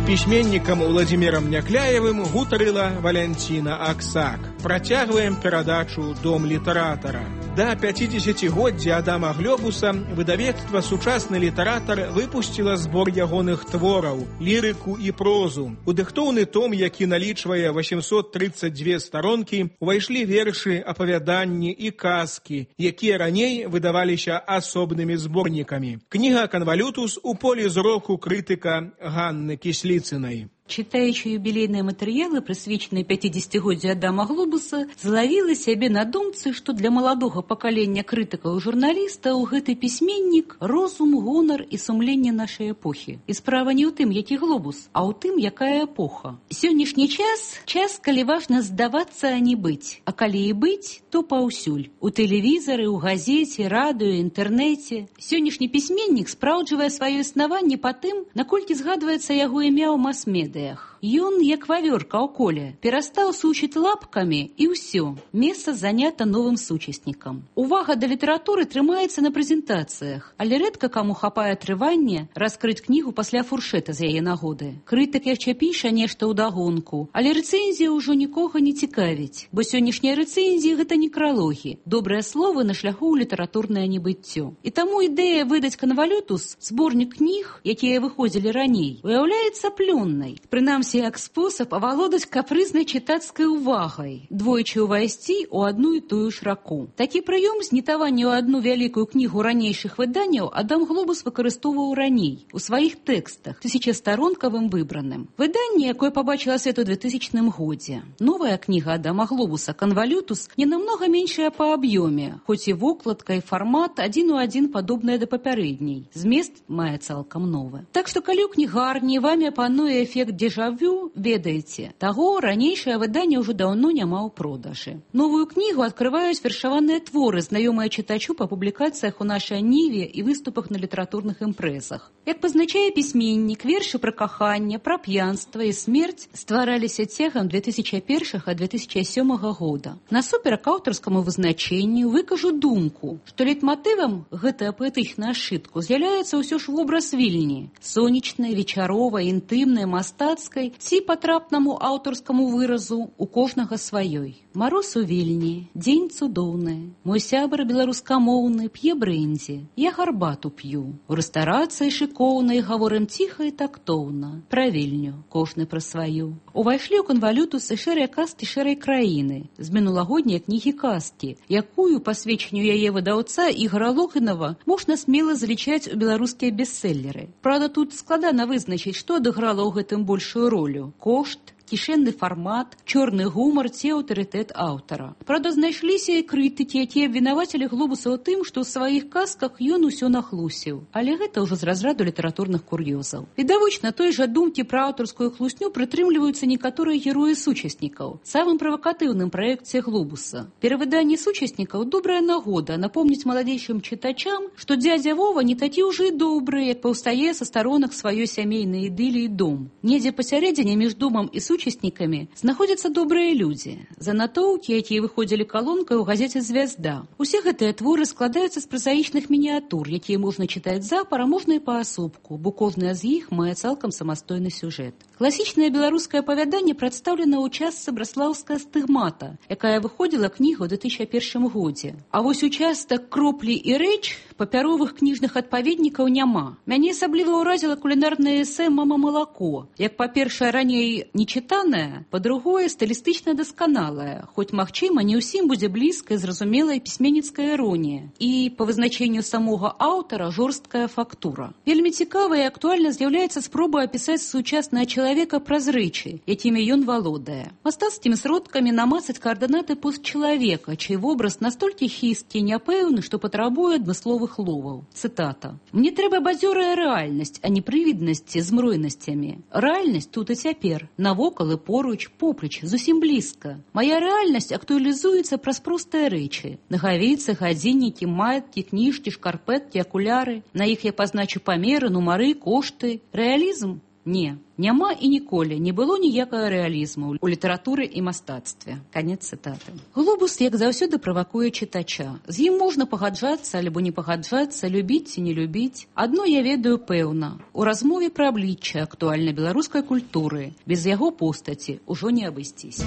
Пісьменнікам Уладзімірам Някляевым гутарыла Валянціна Аксак. Працягваем перадачу «Дом літаратара». Да пяцідзесяцігоддзя Адама Глёбуса выдавецтва «Сучасны літаратар» выпусціла збор ягоных твораў, лірыку і прозу. У дыхтоўны том, які налічвае восемьсот тридцать две старонкі, увайшлі вершы, апавяданні і казкі, якія раней выдаваліся асобнымі зборнікамі. Кніга «Канвалютус» у полі зроку крытыка Ганны Кісліцынай. Читаючи юбилейные материалы, присвяченные пятидесятигоддзю Адама Глобуса, зловила себе на думцы, что для молодого поколения критиков и журналистов гэты письменник розум, гонор и сумление нашей эпохи. И справа не у тым, які Глобус, а у тым, якая эпоха. Сённяшні час – час, калі важно здавацца, а не быць. А калі і быць, то паўсюль. У тэлевізары, у газеце, радыё, інтэрнэце. Сённяшні пісьменнік спраўджвае сваё існаванне па тым, наколькі згадваецца яго імя ў мас-медыа. Ён, як вавёрка ў коле, перастаў сучыць лапкамі і ўсё. Месца занята новым сучаснікам. Увага да літаратуры трымаецца на прэзентацыях, але рэдка каму хапае трывання раскрыць кнігу пасля фуршэта з яе нагоды. Крытык яшчэ піша нешта ўдагонку, але рэцэнзія ўжо нікога не цікавіць, бо сённяшнія рэцэнзіі гэта некралогі, добрыя словы на шляху ў літаратурнае небыццё. І таму ідэя выдаць «Канвалютус», зборнік кніг, якія выходзілі раней, уяўляецца плённай. Прынамсі, як спосаб авалодаць капрызнай чытацкай увагай, двойчы ўвайсці ў адну і тую ж раку. Такі прыём знітавання ў адну вялікую кнігу ранейшых выданняў Адам Глобус выкарыстоўваў раней у сваіх тэкстах, тысячастаронкавым выбраным. Выданне, якое пабачыла свет у двухтысячным годзе. Новая кніга Адама Глобуса «Канвалютус» не намнога меншая па аб'ёме, хоць і вокладка і фармат адзін у адзін падобныя да папярэдняй. Змест мае цалкам новы. Так што калі ў кнігарні вамі пануе эфект дзежавю, ведаеце, таго ранейшае выданне ўжо даўно няма ў продажы. Новую кнігу адкрываюць вершаваныя творы, знаёмыя чытачу па публікацыях у нашай ніве і выступах на літаратурных імпрэзах. Як пазначае пісьменнік, вершы пра каханне, пра п'янства і смерць ствараліся цягам две тысячи першага - две тысячи сёмага года. Насуперак аўтарскаму вызначэнню выкажу думку, што лейтматывам гэтая паэтычная сшытку з'яўляецца ўсё ж вобраз Вільні, сонечнай, вечаровай, інтымнай, мастацкай ці патрапнаму аўтарскаму выразу у кожнага сваёй. Мароз у Вільні, дзень цудоўны, мой сябар беларускамоўны п'е брэндзі, я гарбату п'ю. У рэстарацыі шыкоўнай гаворым ціха і тактоўна, пра Вільню, кожны пра сваю. Увайшлі ў «Канвалютус» і шэрыя казкі шэрай краіны з мінулагодняй кнігі казкі, якую, па сведчанню яе выдаўца Ігора Логінава, можна смела залічаць у беларускія бестселлеры. Праўда, тут складана вызначыць, што адыграла ў гэтым большую ролю – кошт, кішэнны фармат, чорны гумар ці аўтарытэт аўтара. Правда, знайшліся і крытыкі, якія абвінавацілі Глобуса ў тым, што ў сваіх казках ён усё нахлусіў. Але гэта ўжо з разраду літаратурных кур'ёзаў. Відавочна, той жа думкі пра аўтарскую хлусню прытрымліваюцца некаторыя героі сучаснікаў. Самым правакатыўным праекце Глобуса. Перавыданне сучаснікаў – добрая нагода напомніць маладзейшым чытачам, што дзядзя Вова не такі ўжо і добры, як паўстае са старонак сваёй сямейнай ідыліі дом. Недзе пасярэдзіне між домам і сучаснікамі знаходзяцца добрыя людзі. Занатоўкі, якія выходзілі калонкай у газеце «Звязда». Усе гэтыя творы складаюцца з празаічных мініятур, якія можна чытаць запар, а можна і паасобку, бо кожная з іх мае цалкам самастойны сюжэт. Класічнае беларускае апавяданне прадстаўлена ў частцы браслаўская стыгмата, якая выходзіла кніга ў две тысячи першым годзе. А вось участак кроплі і рэч папяровых кніжных адпаведнікаў няма. Мяне асабліва ўразіла кулінарнае эсэ «Мама малако». Як, па-першае, раней нечытанае, па-другое, стылістычна дасканалае, хоць, магчыма, не ўсім будзе блізкая, зразумелая пісьменніцкая іронія. І, па вызначэнню самога аўтара, жорсткая фактура. Вельмі цікава і актуальна з'яўляецца спроба апісаць сучаснае чалавека праз рэчы, якімі ён валодае. Мастацкімі сродкамі намацаць каардынаты постчалавека, чый вобраз настолькі хісткі і няпэўны, што патрабуе адмысловых ловаў. Цытата. «Мне трэба бадзёрая рэальнасць, а не прывіднасці з мройнасцямі. Рэальнасць тут і цяпер, навокал і поруч, поплеч, зусім блізка. Мая рэальнасць актуалізуецца праз простыя рэчы. Нагавіцы, гадзіннікі, маяткі, кніжкі, шкарпэткі, акуляры. На іх я пазначу памеры, нумары, кошты. Рэалізм? Не. Няма і ніколі не было ніякага рэалізму ў літаратуры і мастацтве». Канец цытаты. Глобус, як заўсёды, правакуе чытача. З ім можна пагаджацца альбо не пагаджацца, любіць ці не любіць. Адно я ведаю пэўна. У размове пра аблічча актуальнай беларускай культуры без яго постаці ўжо не абысціся.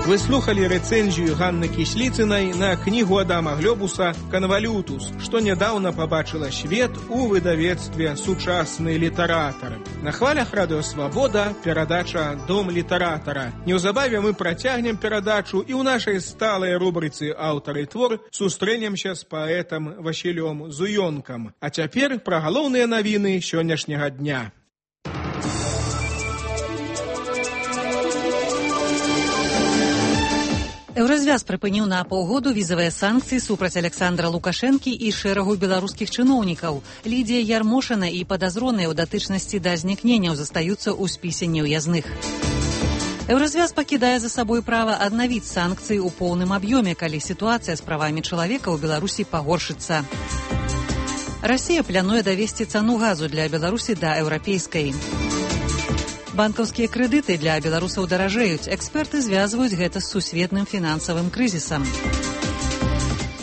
Вы слухали рэцэнзію Ганны Кісліцынай на кнігу Адама Глобуса «Канвалютус», што нядаўна пабачыла свет у выдавецтве «Сучасныя літаратары». На хвалях Радыё Свабода перадача «Дом літаратара». Неўзабаве мы працягнем перадачу і ў нашай сталай рубрыцы «Аўтар і твор» сустрэнемся з паэтам Васілём Зуёнкам. А цяпер пра галоўныя навіны сённяшняга дня. Еўразвяз прыпыніў на паўгоду візавыя санкцыі супраць Александра Лукашэнкі і шэрагу беларускіх чыноўнікаў. Лідія Ярмошына і падазроныя ў датычнасці да знікненняў застаюцца ў спісе неўязных. Еўразвяз пакідае за сабой права аднавіць санкцыі ў поўным аб'ёме, калі сітуацыя з правамі чалавека ў Беларусі пагоршыцца. Расія плануе давесці цану газу для Беларусі да еўрапейскай. Банкаўскія крэдыты для беларусаў даражэюць. Эксперты звязваюць гэта з сусветным фінансавым крызісам.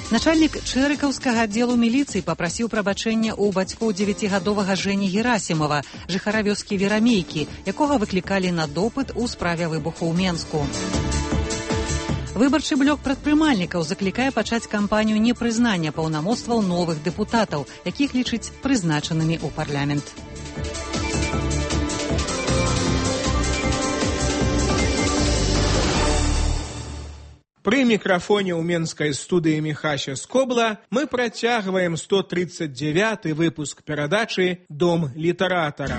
Начальнік чэрыкаўскага аддзелу міліцыі папрасіў прабачэння ў бацькоў дзевяцігадовага Жэні Герасімова, жыхара вёскі Верамейкі, якога выклікалі на допыт у справе выбуху ў Менску. Выбарчы блок прадпрымальнікаў заклікае пачаць кампанію непрызнання паўнамоцтваў новых дэпутатаў, якіх лічыць прызначанымі ў парламент. Пры мікрафоне ў менскай студыі Міхася Скобла мы працягваем сто тридцать девяты выпуск перадачы «Дом літаратара».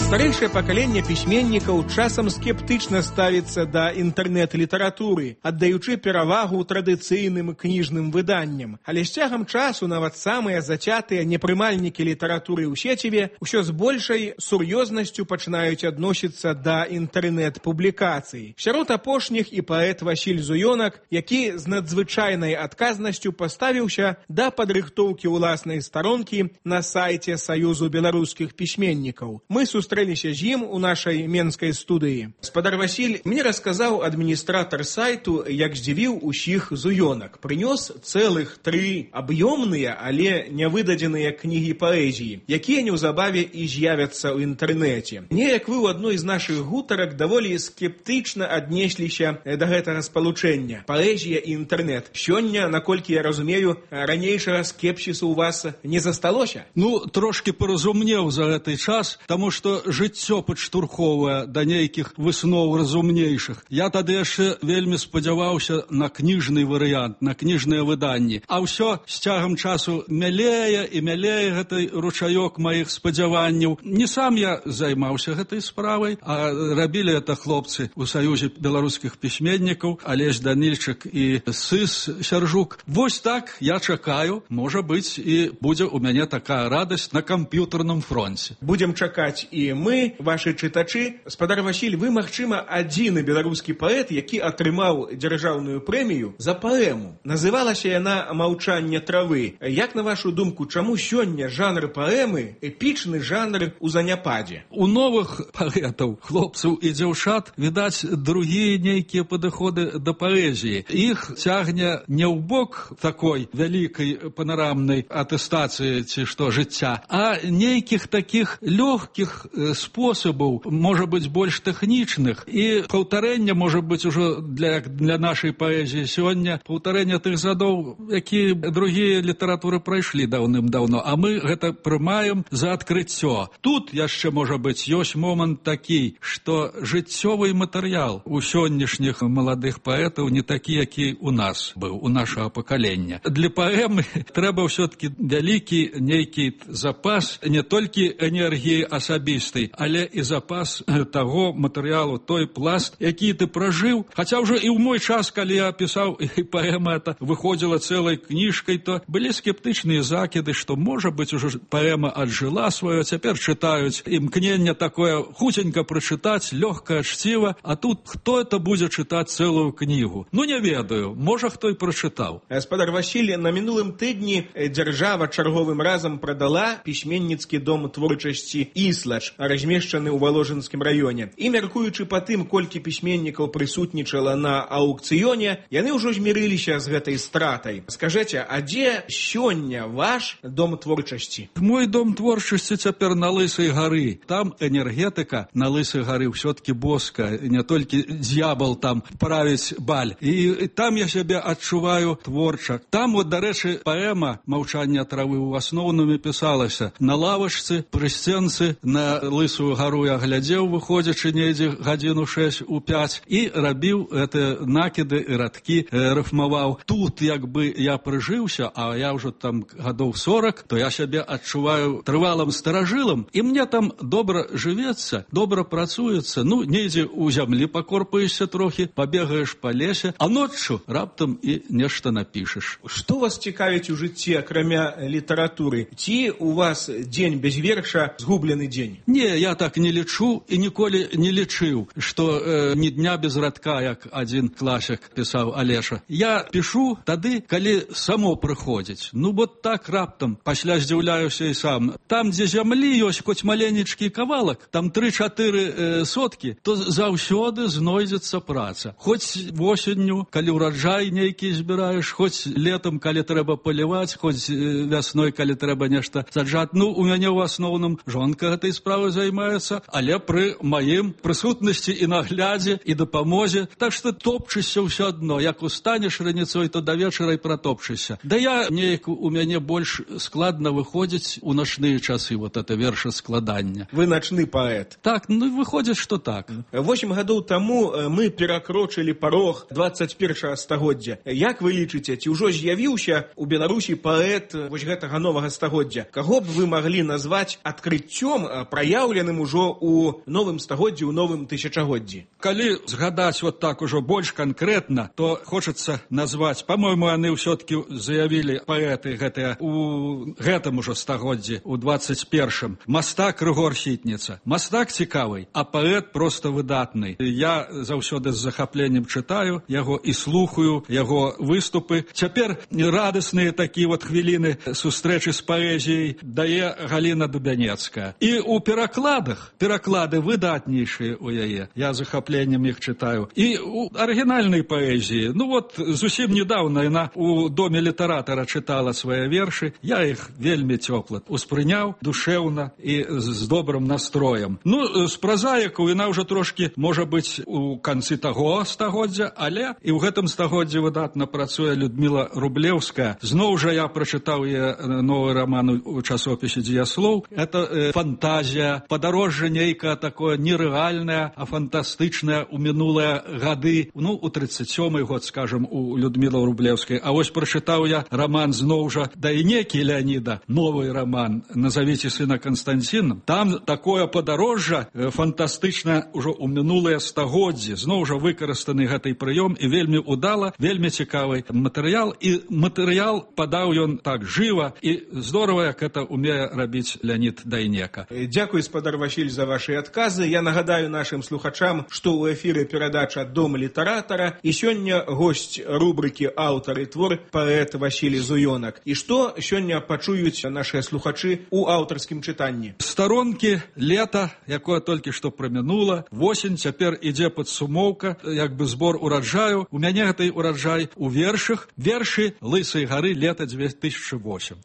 Старэйшае пакаленне пісьменнікаў часам скептычна ставіцца да інтэрнэт-літаратуры, аддаючы перавагу традыцыйным кніжным выданням. Але з цягам часу нават самыя зацятыя непрымальнікі літаратуры ў сеціве ўсё з большай сур'ёзнасцю пачынаюць адносіцца да інтэрнэт-публікацый. Сярод апошніх і паэт Васіль Зуёнак, які з надзвычайнай адказнасцю паставіўся да падрыхтоўкі ўласнай старонкі на сайце Саюзу беларускіх пісьменнікаў. Мы сустрэліся з ім у нашай менскай студыі. Спадар Васіль, мне расказаў адміністратар сайту, як здзівіў усіх Зуёнак. Прынёс цэлых тры аб'ёмныя, але нявыдадзеныя кнігі паэзіі, якія неўзабаве і з'явяцца ў інтэрнэце. Неяк вы ў адной з нашых гутарак даволі скептычна аднесліся да гэтага спалучэння. Паэзія і інтэрнэт. Сёння, наколькі я разумею, ранейшага скепсісу ў вас не засталося? Ну, трошки паразумнеў за гэты час, таму што жыццё падштурхоўвае да нейкіх высноў разумнейшых. Я тады яшчэ вельмі спадзяваўся на кніжны варыянт, на кніжныя выданні. А ўсё з цягам часу мялее і мялее гэты ручаёк маіх спадзяванняў. Не сам я займаўся гэтай справай, а рабілі это хлопцы ў Саюзе беларускіх пісьменнікаў, Алесь Данільчык і Сыс Сяржук. Вось так я чакаю, можа быць, і будзе ў мяне такая радасць на камп'ютарным фронце. Будзем чакаць і чым мы, вашы чытачы. Спадар Васіль, вы, магчыма, адзіны беларускі паэт, які атрымаў дзяржаўную прэмію за паэму. Называлася яна «Маўчанне травы». Як, на вашу думку, чаму сёння жанр паэмы эпічны жанр у заняпадзе? У новых паэтаў, хлопцаў і дзяўчат, відаць, другія нейкія падыходы да паэзіі. Іх цягне не ў бок такой вялікай панарамнай атэстацыі ці што жыцця, а нейкіх такіх лёгкіх спосабаў, можа быць, больш тэхнічных. І паўтарэння, можа быць, ужо для, для нашай паэзіі сёння, паўтарэння тых задоў, якія другія літаратуры прайшлі даўным-даўно, а мы гэта прымаем за адкрыццё. Тут яшчэ, можа быць, ёсць момант такі, што жыццёвы матэрыял у сённяшніх маладых паэтаў не такі, які у нас быў, у нашага пакалення. Для паэмы трэба ўсё-такі вялікі нейкі запас не толькі энергіі асабістай, але і запас таго матэрыялу, той пласт, які ты пражыў. Хаця ўжо і ў мой час, калі я пісаў, і паэма эта выходзіла цэлай кніжкай, то былі скептычныя закіды, што, можа быць, ужо паэма аджыла сваё, цяпер чытаюць імкненне такое хуценька прачытаць, лёгкае чціва, а тут хто это будзе чытаць цэлую кнігу? Ну, не ведаю, можа, хто і прачытаў. Гаспадар Васіль, на мінулым тыдні дзяржава чарговым разам прадала пісьменніцкі дом творчасці «Іслач», размешчаны ў Валожынскім раёне. І, мяркуючы па тым, колькі пісьменнікаў прысутнічала на аукцыёне, яны ўжо змірыліся з гэтай стратай. Скажэце, а дзе сёння ваш дом творчасці? Мой дом творчасці цяпер на Лысай гары. Там энергетыка на Лысай гары ўсё-такі боска, не толькі д'ябал там правіць баль. І там я сябе адчуваю творча. Там, вот, дарэчы, паэма «Маўчанне травы» у асноўным пісалася на лавачцы, пры сценцы, на Лысую гару я глядзеў, выходзячы недзе гадзіну шэсць у пяць, і рабіў гэтыя накіды і радкі, рыфмаваў. Тут, як бы, я прыжыўся, а я ўжо там гадоў сорак, то я сябе адчуваю трывалым старажылам, і мне там добра жывецца, добра працуецца. Ну, недзе ў зямлі пакорпаешся трохі, пабегаеш па лесе, а ноччу раптам і нешта напішаш. Што вас цікавіць у жыцці, акрамя літаратуры? Ці у вас дзень без верша згублены дзень? Не, я так не лічу і ніколі не лічыў, што э, ні дня без радка, як адзін класік пісаў Алеша. Я пішу тады, калі само прыходзіць. Ну, вот так раптам, пасля здзіўляюся і сам. Там, дзе зямлі ёсць хоць маленечкі кавалак, там тры-чатыры э, соткі, то заўсёды знойдзецца праца. Хоць восенню, калі ўраджай нейкі збіраеш, хоць летам, калі трэба паліваць, хоць э, вясной, калі трэба нешта саджаць. Ну, у мяне ў асноўным жонка гэтай справай займаецца, але пры маім прысутнасці і наглядзе, і дапамозе. Так што топчышся ўсё адно. Як устанеш раніцой, то да вечара і пратопчышся. Да я неяк у мяне больш складна выходзіць у начныя часы, вот это вершаскладання. Вы начны паэт. Так, ну выходзіць, што так. Восем гадоў таму мы перакрочылі парог дваццаць першага стагоддзя. Як вы лічыце, ці ўжо з'явіўся у Беларусі паэт вось гэтага новага стагоддзя? Каго б вы маглі назваць адкрыццём, праяўленым ужо у новым стагоддзі, у новым тысячагоддзі? Калі згадаць вот так ужо больш канкрэтна, то хочацца назваць, па-мойму, яны ўсё-такі заявілі паэты гэтыя у гэтым ужо стагоддзі, у дваццаць першым. Мастак Рыгор Сітніца. Мастак цікавы, а паэт проста выдатны. Я заўсёды з захапленнем чытаю яго і слухаю яго выступы. Цяпер радасныя такія вот хвіліны сустрэчы з паэзіяй дае Галіна Дубянецкая. І у перакладах, пераклады выдатнейшыя у яе. Я захапленнем іх чытаю. І у арыгінальнай паэзіі, ну вот зусім недавно яна у доме літаратара чытала свае вершы. Я іх вельмі цёпла успрыняў, душэўна і з добрым настроем. Ну, з празаікаў яна ўжо трошкі, можа быць, у канцы таго стагоддзя, але і ў гэтым стагоддзі выдатна працуе Людміла Рублеўская. Зноў жа я прачытаў яе новы раман у часопісе «Дзеяслоў». Это э, фантазія, падарожжа нейкае такое нерэальнае, а фантастычнае у мінулыя гады. Ну, у тридцать сёмы год, скажем, у Людмілы Рублеўскай. А вось прачытаў я раман зноў жа Дайнекі Леаніда, новый раман «Назовите сына Константином». Там такое падарожжа э, фантастычнае ўжо ў мінулыя стагоддзі. Зноў жа выкарыстаны гэтай прыём і вельмі удала, вельмі цікавы матэрыял. І матэрыял падаў ён так жыва і здорава, як это умее рабіць Леонид Дайнека. Дякую, гаспадар Васіль, за ваши адказы. Я нагадаю нашим слухачам, што ў эфіры перадача «Дом літаратара» і сёння госць рубрыкі «Аўтар і твор» паэт Васіль Зуёнак. І што сёння пачуюць нашыя слухачы ў аўтарскім чытанні? Старонкі лета, якое толькі што прамінула, восень, цяпер ідзе падсумоўка, як бы збор ураджаю. У мяне гэтай ураджай у вершах, вершы Лысай гары лета две тысячи восемь.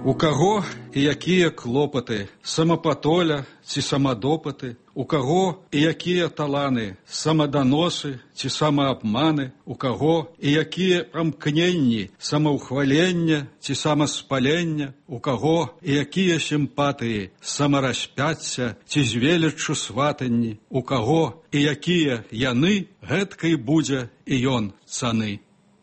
У каго і якія клопаты, самапатоля ці самадопаты, у каго і якія таланы, самаданосы ці самаабманы, у каго і якія прамкненні, самаўхвалення ці самаспалення, у каго і якія сімпатыі, самараспяцця ці з веліччу сватанні, у каго і якія яны, гэткай будзе і ён цаны.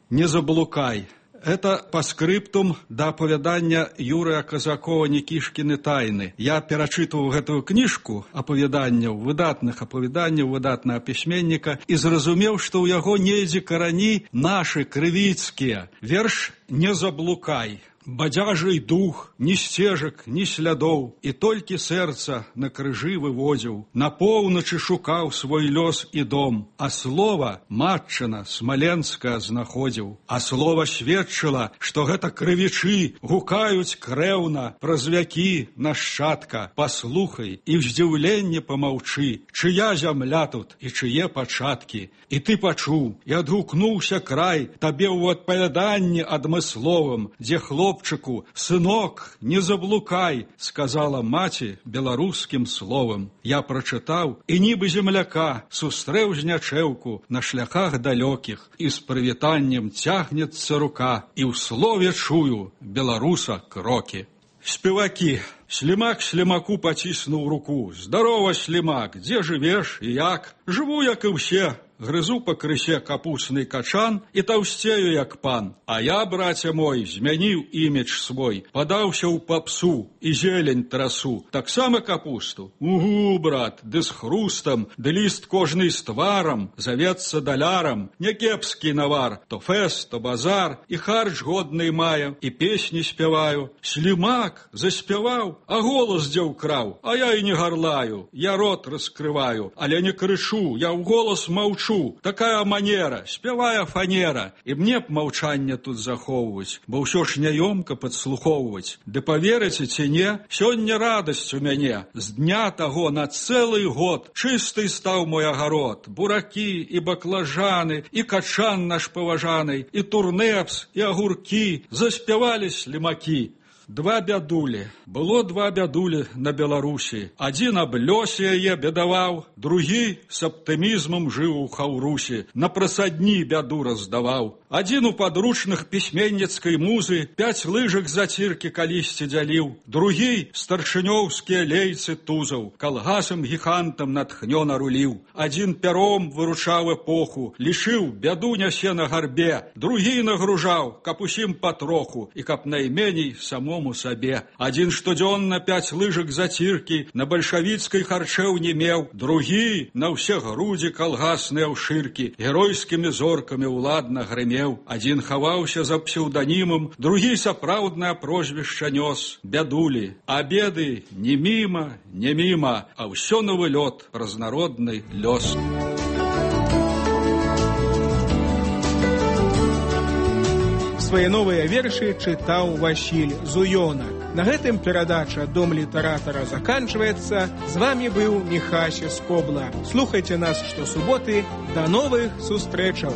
Не заблукай. Это по скриптум да апавядання Юрыя Казакова «Никішкіны тайны». Я перачытваў гэтую кніжку апавяданняў, выдатных апавяданняў, выдатнага пісьменніка і зразумеў, што ў яго недзе карані нашы крывіцкія. Верш «Не заблукай». Бадзяжый дух, ні сцежак, ні слядоў, і толькі сэрца на крыжы выводзіў, на поўначы шукаў свой лёс і дом, а слова матчына смаленская знаходзіў, а слова сведчыла, што гэта крывічы гукаюць крэўна праз вякі нашчадка, паслухай і в здзіўленні памаўчы, чыя зямля тут і чые пачаткі, і ты пачуў, і адгукнуўся край табе ў адпавяданні адмысловым, дзе хлоп «Хлопчику, сынок, не заблукай», сказала маці беларускім словам. Я прачытаў, і нібы земляка сустрэў знячэўку на шляхах далёкіх, і з прывітаннем цягнецца рука, і ў слове чую беларуса крокі. Спевакі. Слімак слімаку паціснуў руку. «Здарова, слімак, дзе жывеш і як?» «Жыву, як і ўсе. Грызу па крысе капусны качан і таўсцею, як пан. А я, браце мой, змяніў імідж свой, падаўся ў папсу і зелень трасу. Таксама капусту? Угу, брат, ды з хрустам, ды ліст кожны з тварам, завецца далярам. Някепскі навар, то фэст, то базар, і харч годны маю, і песні спяваю. Слімак заспяваў, а голас дзе ўкраў, а я і не гарлаю, я рот раскрываю, але не крычу, я ў голас маўчу. Такая манера, спявая фанера, і мне б маўчанне тут захоўваць, бо ўсё ж няёмка падслухоўваць. Ды паверыце ці не, сёння радасць у мяне. З дня таго на цэлы год чысты стаў мой агарод. Буракі і баклажаны, і качан наш паважаны, і турнепс, і агуркі заспявалі слімакі. Два бядулі. Было два бядулі на Беларусі. Адзін аб лёсе яе бедаваў, другі з аптымізмам жыў у Хаўрусі, на прасадні бяду раздаваў. Адзін у падручных пісьменніцкай музы пяць лыжак заціркі калісьці дзяліў, другі старшынёўскія лейцы тузаў, калгасам гігантам натхнёна руліў. Адзін пяром выручаў эпоху, лічыў, бяду нясе на гарбе, другі нагружаў, каб усім патроху і каб найменей самому сабе. Адзін штодзённа пяць лыжак заціркі на бальшавіцкай харчэў не меў, другі на ўсе грудзі калгасныя ўшыркі геройскімі зоркамі ўладна грымеў. Адзін хаваўся за псеўданімам, другі сапраўднае прозвішча нёс, бядулі. А беды не міма, не міма, а ўсё новы лёд праз народны лёс. Свае новыя вершы чытаў Васіль Зуёнак. На гэтым перадача «Дом літаратара» заканчваецца. З вамі быў Міхася Скобла. Слухайце нас штосуботы. Да новых сустрэчаў!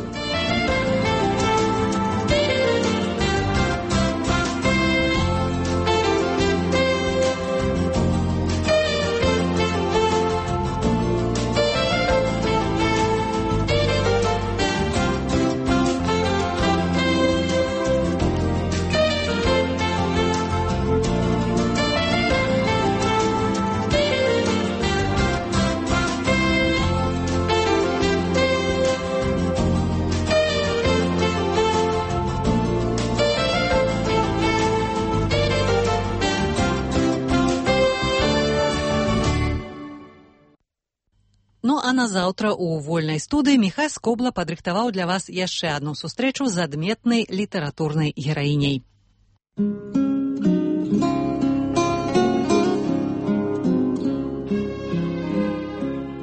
А на заўтра у вольнай студыі Міхай Скобла падрыхтаваў для вас яшчэ адну сустрэчу з адметнай літаратурнай гераіняй.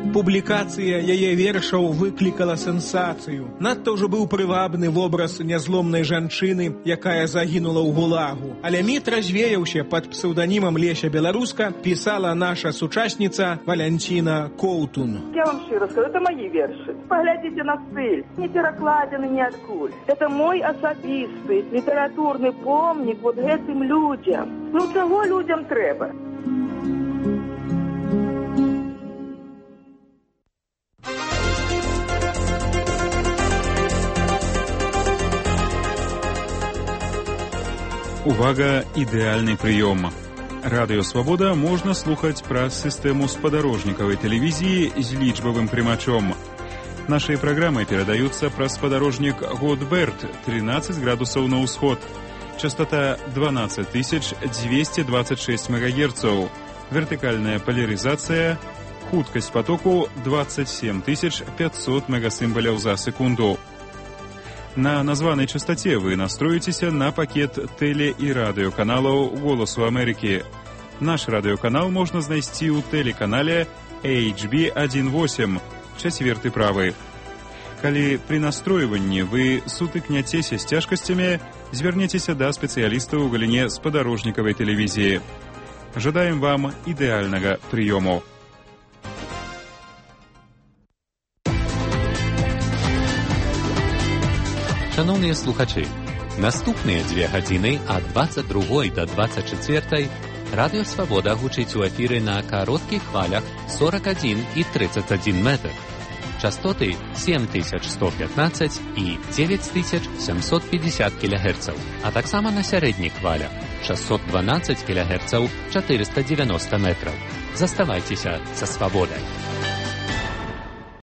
Публікацыя яе вершаў выклікала сенсацыю. Надта ўжо быў прывабны вобраз нязломнай жанчыны, якая загінула ў гулагу. Але міт развеяўся пад псеўданімам Леся Беларуска, пісала наша сучасніца Валянціна Коўтун. Я вам шчыра скажу, это мои вершы. Поглядите на стыль, не перакладены ниадкуль. Это мой асабісты літаратурны помнік вот гэтым людям. Ну чаго людям трэба? Увага, ідэальны прыём. Радыё Свабода можна слухаць праз сістэму спадарожнікавай тэлевізіі з лічбавым прымачом. Нашыя праграмы перадаюцца праз спадарожнік Годберт, тринадцать градусаў на ўсход. Частота дванадцать тысяч двести двадцать шесть мегагерцаў. Вертыкальная поляризация. Хуткасць потоку двадцать семь тысяч пятьсот мегасімбаляў за секунду. На названай частоте вы настроитеся на пакет теле- і радыёканалаў «Голосу Америки». Наш радыёканал можна знайсці ў тэлеканале эйч би один восемь, чацверты правы. Калі пры настройванні вы сутыкняцеся з цяжкасцямі, звярніцеся да спецыялістаў у галіне спадарожнікавай тэлевізіі. Жадаем вам ідэальнага прыёму. Шановні слухачі, наступныя дзве гадзіны ад двадцать другой да двадцать четвертой Радыё Свабода гучыць у эфіры на кароткіх хвалях сорок один и тридцать один метр. Частоты семь тысяч сто пятнадцать и девять тысяч семьсот пятьдесят килогерцаў, а таксама на сярэдніх хвалях шестьсот двенадцать килогерцаў, четыреста девяносто метров. Заставайцеся са Свабодай.